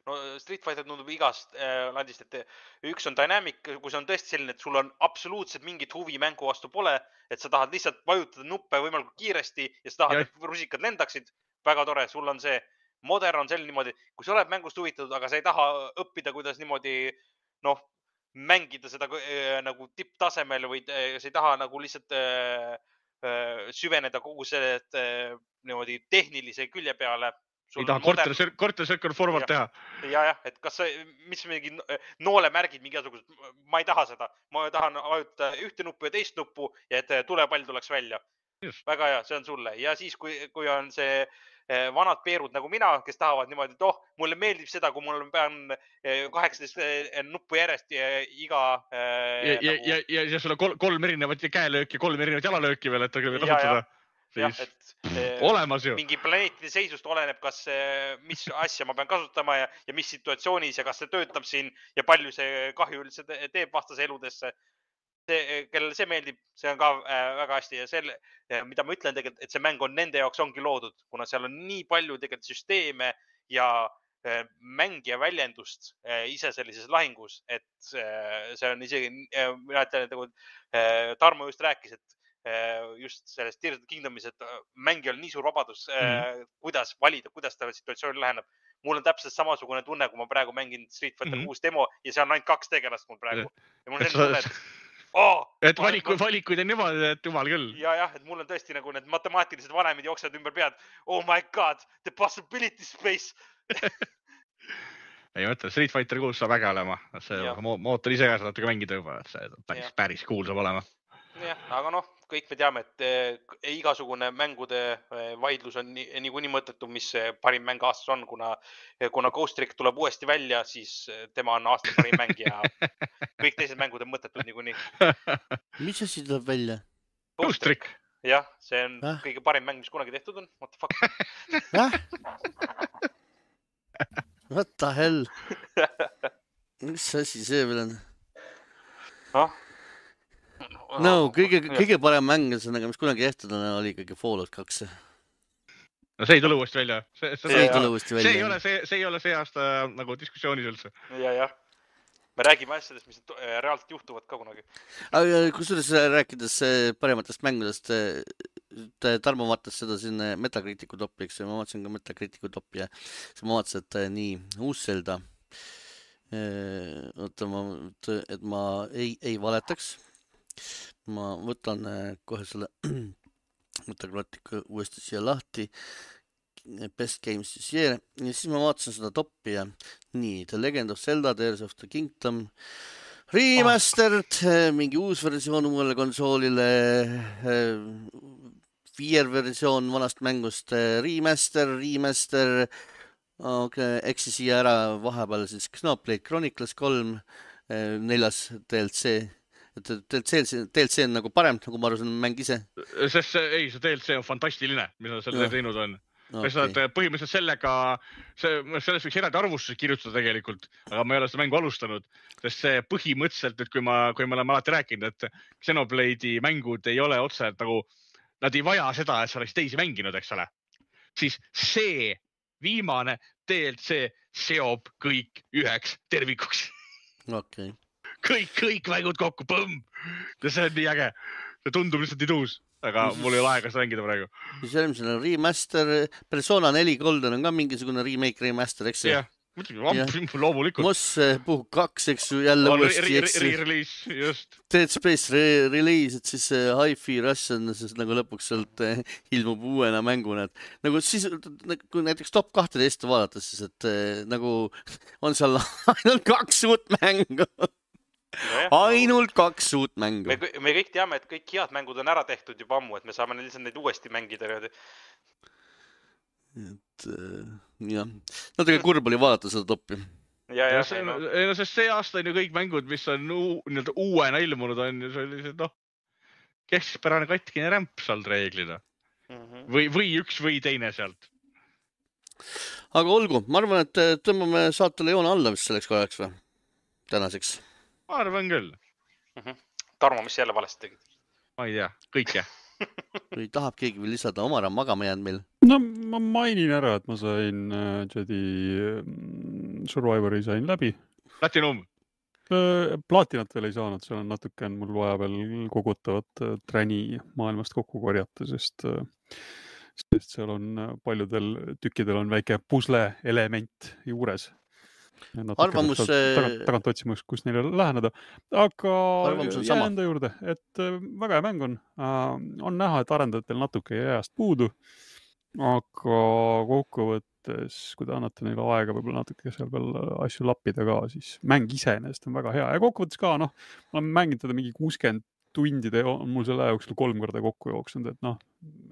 no Street Fighter tundub igast äh, landist, et üks on Dynamic, kui see on tõesti selline, et sul on absoluutselt mingit huvi mängu vastu pole, et sa tahad lihtsalt vajutada nuppe võimalikult kiiresti ja sa tahad, ja. et rusikad lendaksid. Väga tore, sul on see. Modern on selline niimoodi, kui sa oled mängust huvitatud, aga sa ei taha õppida, kuidas niimoodi noh, mängida seda äh, nagu tipptasemel või äh, sa ei taha nagu lihtsalt äh, äh, süveneda kogu selle äh, niimoodi tehnilise külje peale. Sul ei taha modern... korter circle forward ja. teha. Ja, jah, et kas see, mis mingi noolemärgid mingi asugused, ma ei taha seda. Ma tahan vajutada ühte nuppu ja teist nuppu ja et tulepall tuleks välja. Just. Väga hea, see on sulle. Ja siis, kui, kui on see vanad peerud nagu mina, kes tahavad niimoodi, et oh, mulle meeldib seda, kui mul pean kaheksateist nuppu järjest ja iga... Ja, ja, nagu... ja, ja, ja sulle kolm, kolm erinevat käelööki, kolm erinevat jalalööki veel, et kasutada. Jah, et olemas ju. Mingi planeetide seisust oleneb, kas, mis asja ma pean kasutama ja, ja mis situatsioonis ja kas see töötab siin ja palju see kahju üldse teeb vastase eludesse. See, kellele see meeldib, see on ka väga hästi ja selle, mida ma ütlen tegelikult, et see mäng on nende jaoks ongi loodud, kuna seal on nii palju tegelikult süsteeme ja mängija väljendust ise sellises lahingus, et see on isegi, mina ütlen, et Tarmo just rääkis, et just sellest Tears of the Kingdomis, et mängijal on nii suur vabadus, mm-hmm. kuidas valida, kuidas ta situatsiooni läheneb. Mul on täpselt samasugune tunne, kui ma praegu mängin Street Fighter kuus mm-hmm. demo ja see on ainult kaks tegelast mul praegu. Ja mul on selline tunne, et oh, et valikud, valikuid on niimoodi, et jumal küll. Ja, jah, et mul on tõesti nagu need matemaatilised vanemid jooksevad ümber pead. Oh my god, the possibility space. ei mõtle, Street Fighter kuus saab äge olema, see Jah. mo mootor ise ka saab natuke mängida juba, et see päris, Jah. päris cool saab olema. jah, aga noh, kõik me teame, et eh, igasugune mängude eh, vaidlus on nii, niikuinii mõttetu, mis see parim mäng aastas on, kuna, kuna Ghost Trick tuleb uuesti välja, siis tema on aasta parim mäng ja kõik teised mängud on mõttetud niikuinii. mis asi tuleb välja? Ghost Trick. jah, see on Äh? kõige parim mäng, mis kunagi tehtud on. What the fuck? Äh? What the hell? mis asi see veel on? noh. no kõige, kõige parem mäng, mis kunagi tehtud on, oli ikkagi Fallout kaks. no see ei tule uuesti välja. See, see, see ei tule uuesti välja. See ei ole see, see ei ole see aasta nagu diskussioonis üldse. ja, jah. Me räägime asjadest, mis reaalselt juhtuvad ka kunagi. Aga kusjuures rääkides parematest mängudest, Tarmo vaatas seda siin Metacriticu topi, eks ma vaatasin ka Metacriticu topi ja siis ma vaatasin, et nii uus Zelda, oota ma, et ma ei, ei valetaks. Ma võtan kohe selle Metacriticu uuesti siia lahti. Best Games this year ja siis ma vaatasin seda toppi ja nii, The Legend of Zelda, Tears of the Kingdom remastered, oh. mingi uus versioon uuele konsoolile, viier versioon vanast mängust, remaster, remaster, okay, eks siia ära vahepeal siis Xenoblade Chronicles kolm, neljas D L C. Et D L C, D L C on nagu parem, nagu ma aru, see on mäng ise. Sest see, ei, see D L C on fantastiline, mis on selle teinud on. Okay. Saad, põhimõtteliselt sellega, see, selles võiks eraldi arvustuses kirjutada tegelikult, aga ma ei ole seda mängu alustanud, sest see põhimõtteliselt, et kui ma, kui me oleme alati rääkinud, et Xenoblade'i mängud ei ole otse, et nagu nad ei vaja seda, et sa oleks teisi mänginud, eks ole, siis see viimane D L C seob kõik üheks tervikuks. Okay. kõik, kõik mängud kokku, põmm! See on nii äge. See tundub lihtsalt nii tuus. Aga mul ei ole aega seda mängida praegu. Siis järgmisel on remaster, Persona neli Golden on ka mingisugune remake, remaster, eks ju? Jah, muidugi, loomulikult. Moss Puhk kaks, eks ju, jälle on uuesti, eks ju. Re-release, just. Dead Space re-release, et siis Hi-Fi Rush on siis nagu lõpuks sealt ilmub uuena mänguna. Nagu siis, kui näiteks top kaksteist vaadata, siis et nagu on seal ainult kaks uut mängu. No ainult kaks uut mängu. Me, me kõik teame, et kõik head mängud on ära tehtud juba ammu, et me saame lihtsalt neid uuesti mängida. Et jah, natuke kurb oli vaadata seda toppi. Ja, ja, see, no. No, sest see aasta on ju kõik mängud, mis on uu, uuena ilmunud on ja see oli see, noh, keskpärane katkine rämp sealt reeglina. Mm-hmm. Või, või üks või teine sealt. Aga olgu, ma arvan, et tõmbame saatele joone alla vist selleks korraks või? Tänaseks. Ma arvan küll. Mm-hmm. Tarmo, mis jälle valesti tegid? Ma ei tea, kõike. Või tahab keegi veel lisada, Omar on magama jäänud meil? No ma mainin ära, et ma sain uh, Jedi um, Survivori sain läbi. Platinum? Uh, platinat veel ei saanud, seal on natuke on mul vaja veel kogutavat uh, träni maailmast kokku korjata, sest, uh, sest seal on uh, paljudel tükkidel on väike pusle element juures. Arvamus... Tagant, tagant otsima, kus neile läheneda. Aga jää enda juurde, et väga hea mäng on. On näha, et arendajatel natuke jääst puudu. Aga kokkuvõttes, kui te annate neile aega võib-olla natuke seal veel asju lappida ka, siis mäng iseenesest on väga hea. Ja kokkuvõttes ka, noh, ma olen mänginud teda mingi kuuskümmend tundide, on mul selle jooksul kolm korda kokku jooksnud, et noh,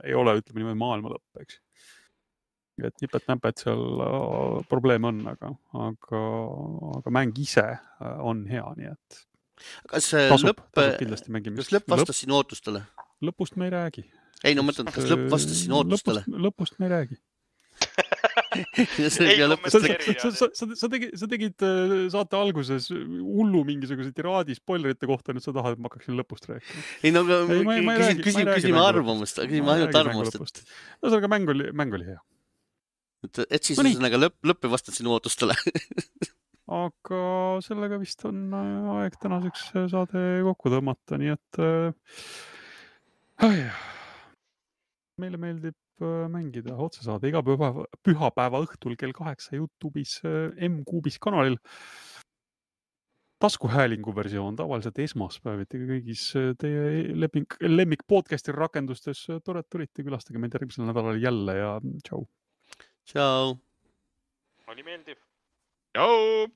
ei ole, ütleme niimoodi maailma lõpp, eks. Et nipet-näpet seal probleem on, aga, aga, aga mäng ise on hea, nii et kas tasub, lõpp, tasub kindlasti mängimist. Kas lõpp vastas lõpp, sinu ootustele? Lõpust me ei räägi. Ei, no mõtlen, kas lõpp vastas sinu ootustele? Lõpust, lõpust me ei räägi. ei, sa, sa, sa, sa, tegid, sa tegid saate alguses hullu mingisuguse tiraadi spoilerite kohta, nüüd sa tahad, et ma hakkaksin lõpust rääkima. Ei, no küsin, küsime arvamust, küsime ainult arvamust. No sellega mäng oli, mäng oli hea. Et, et siis no üsõnaga lõpp, lõpp ei vastanud sinu ootustele. Aga sellega vist on aeg tänaseks saade kokku tõmmata, nii et äh, meile meeldib mängida otsesaade iga püha, pühapäeva õhtul kell kaheksa YouTube'is M-Kuubis kanalil. Taskuhäälingu versioon tavaliselt esmaspäeviti kõigis teie lemmik, lemmik podcasti rakendustes. Tore, et tulite, külastage meid järgmisel nädalal jälle ja tšau. Tšau. Oli meeldiv. tšau .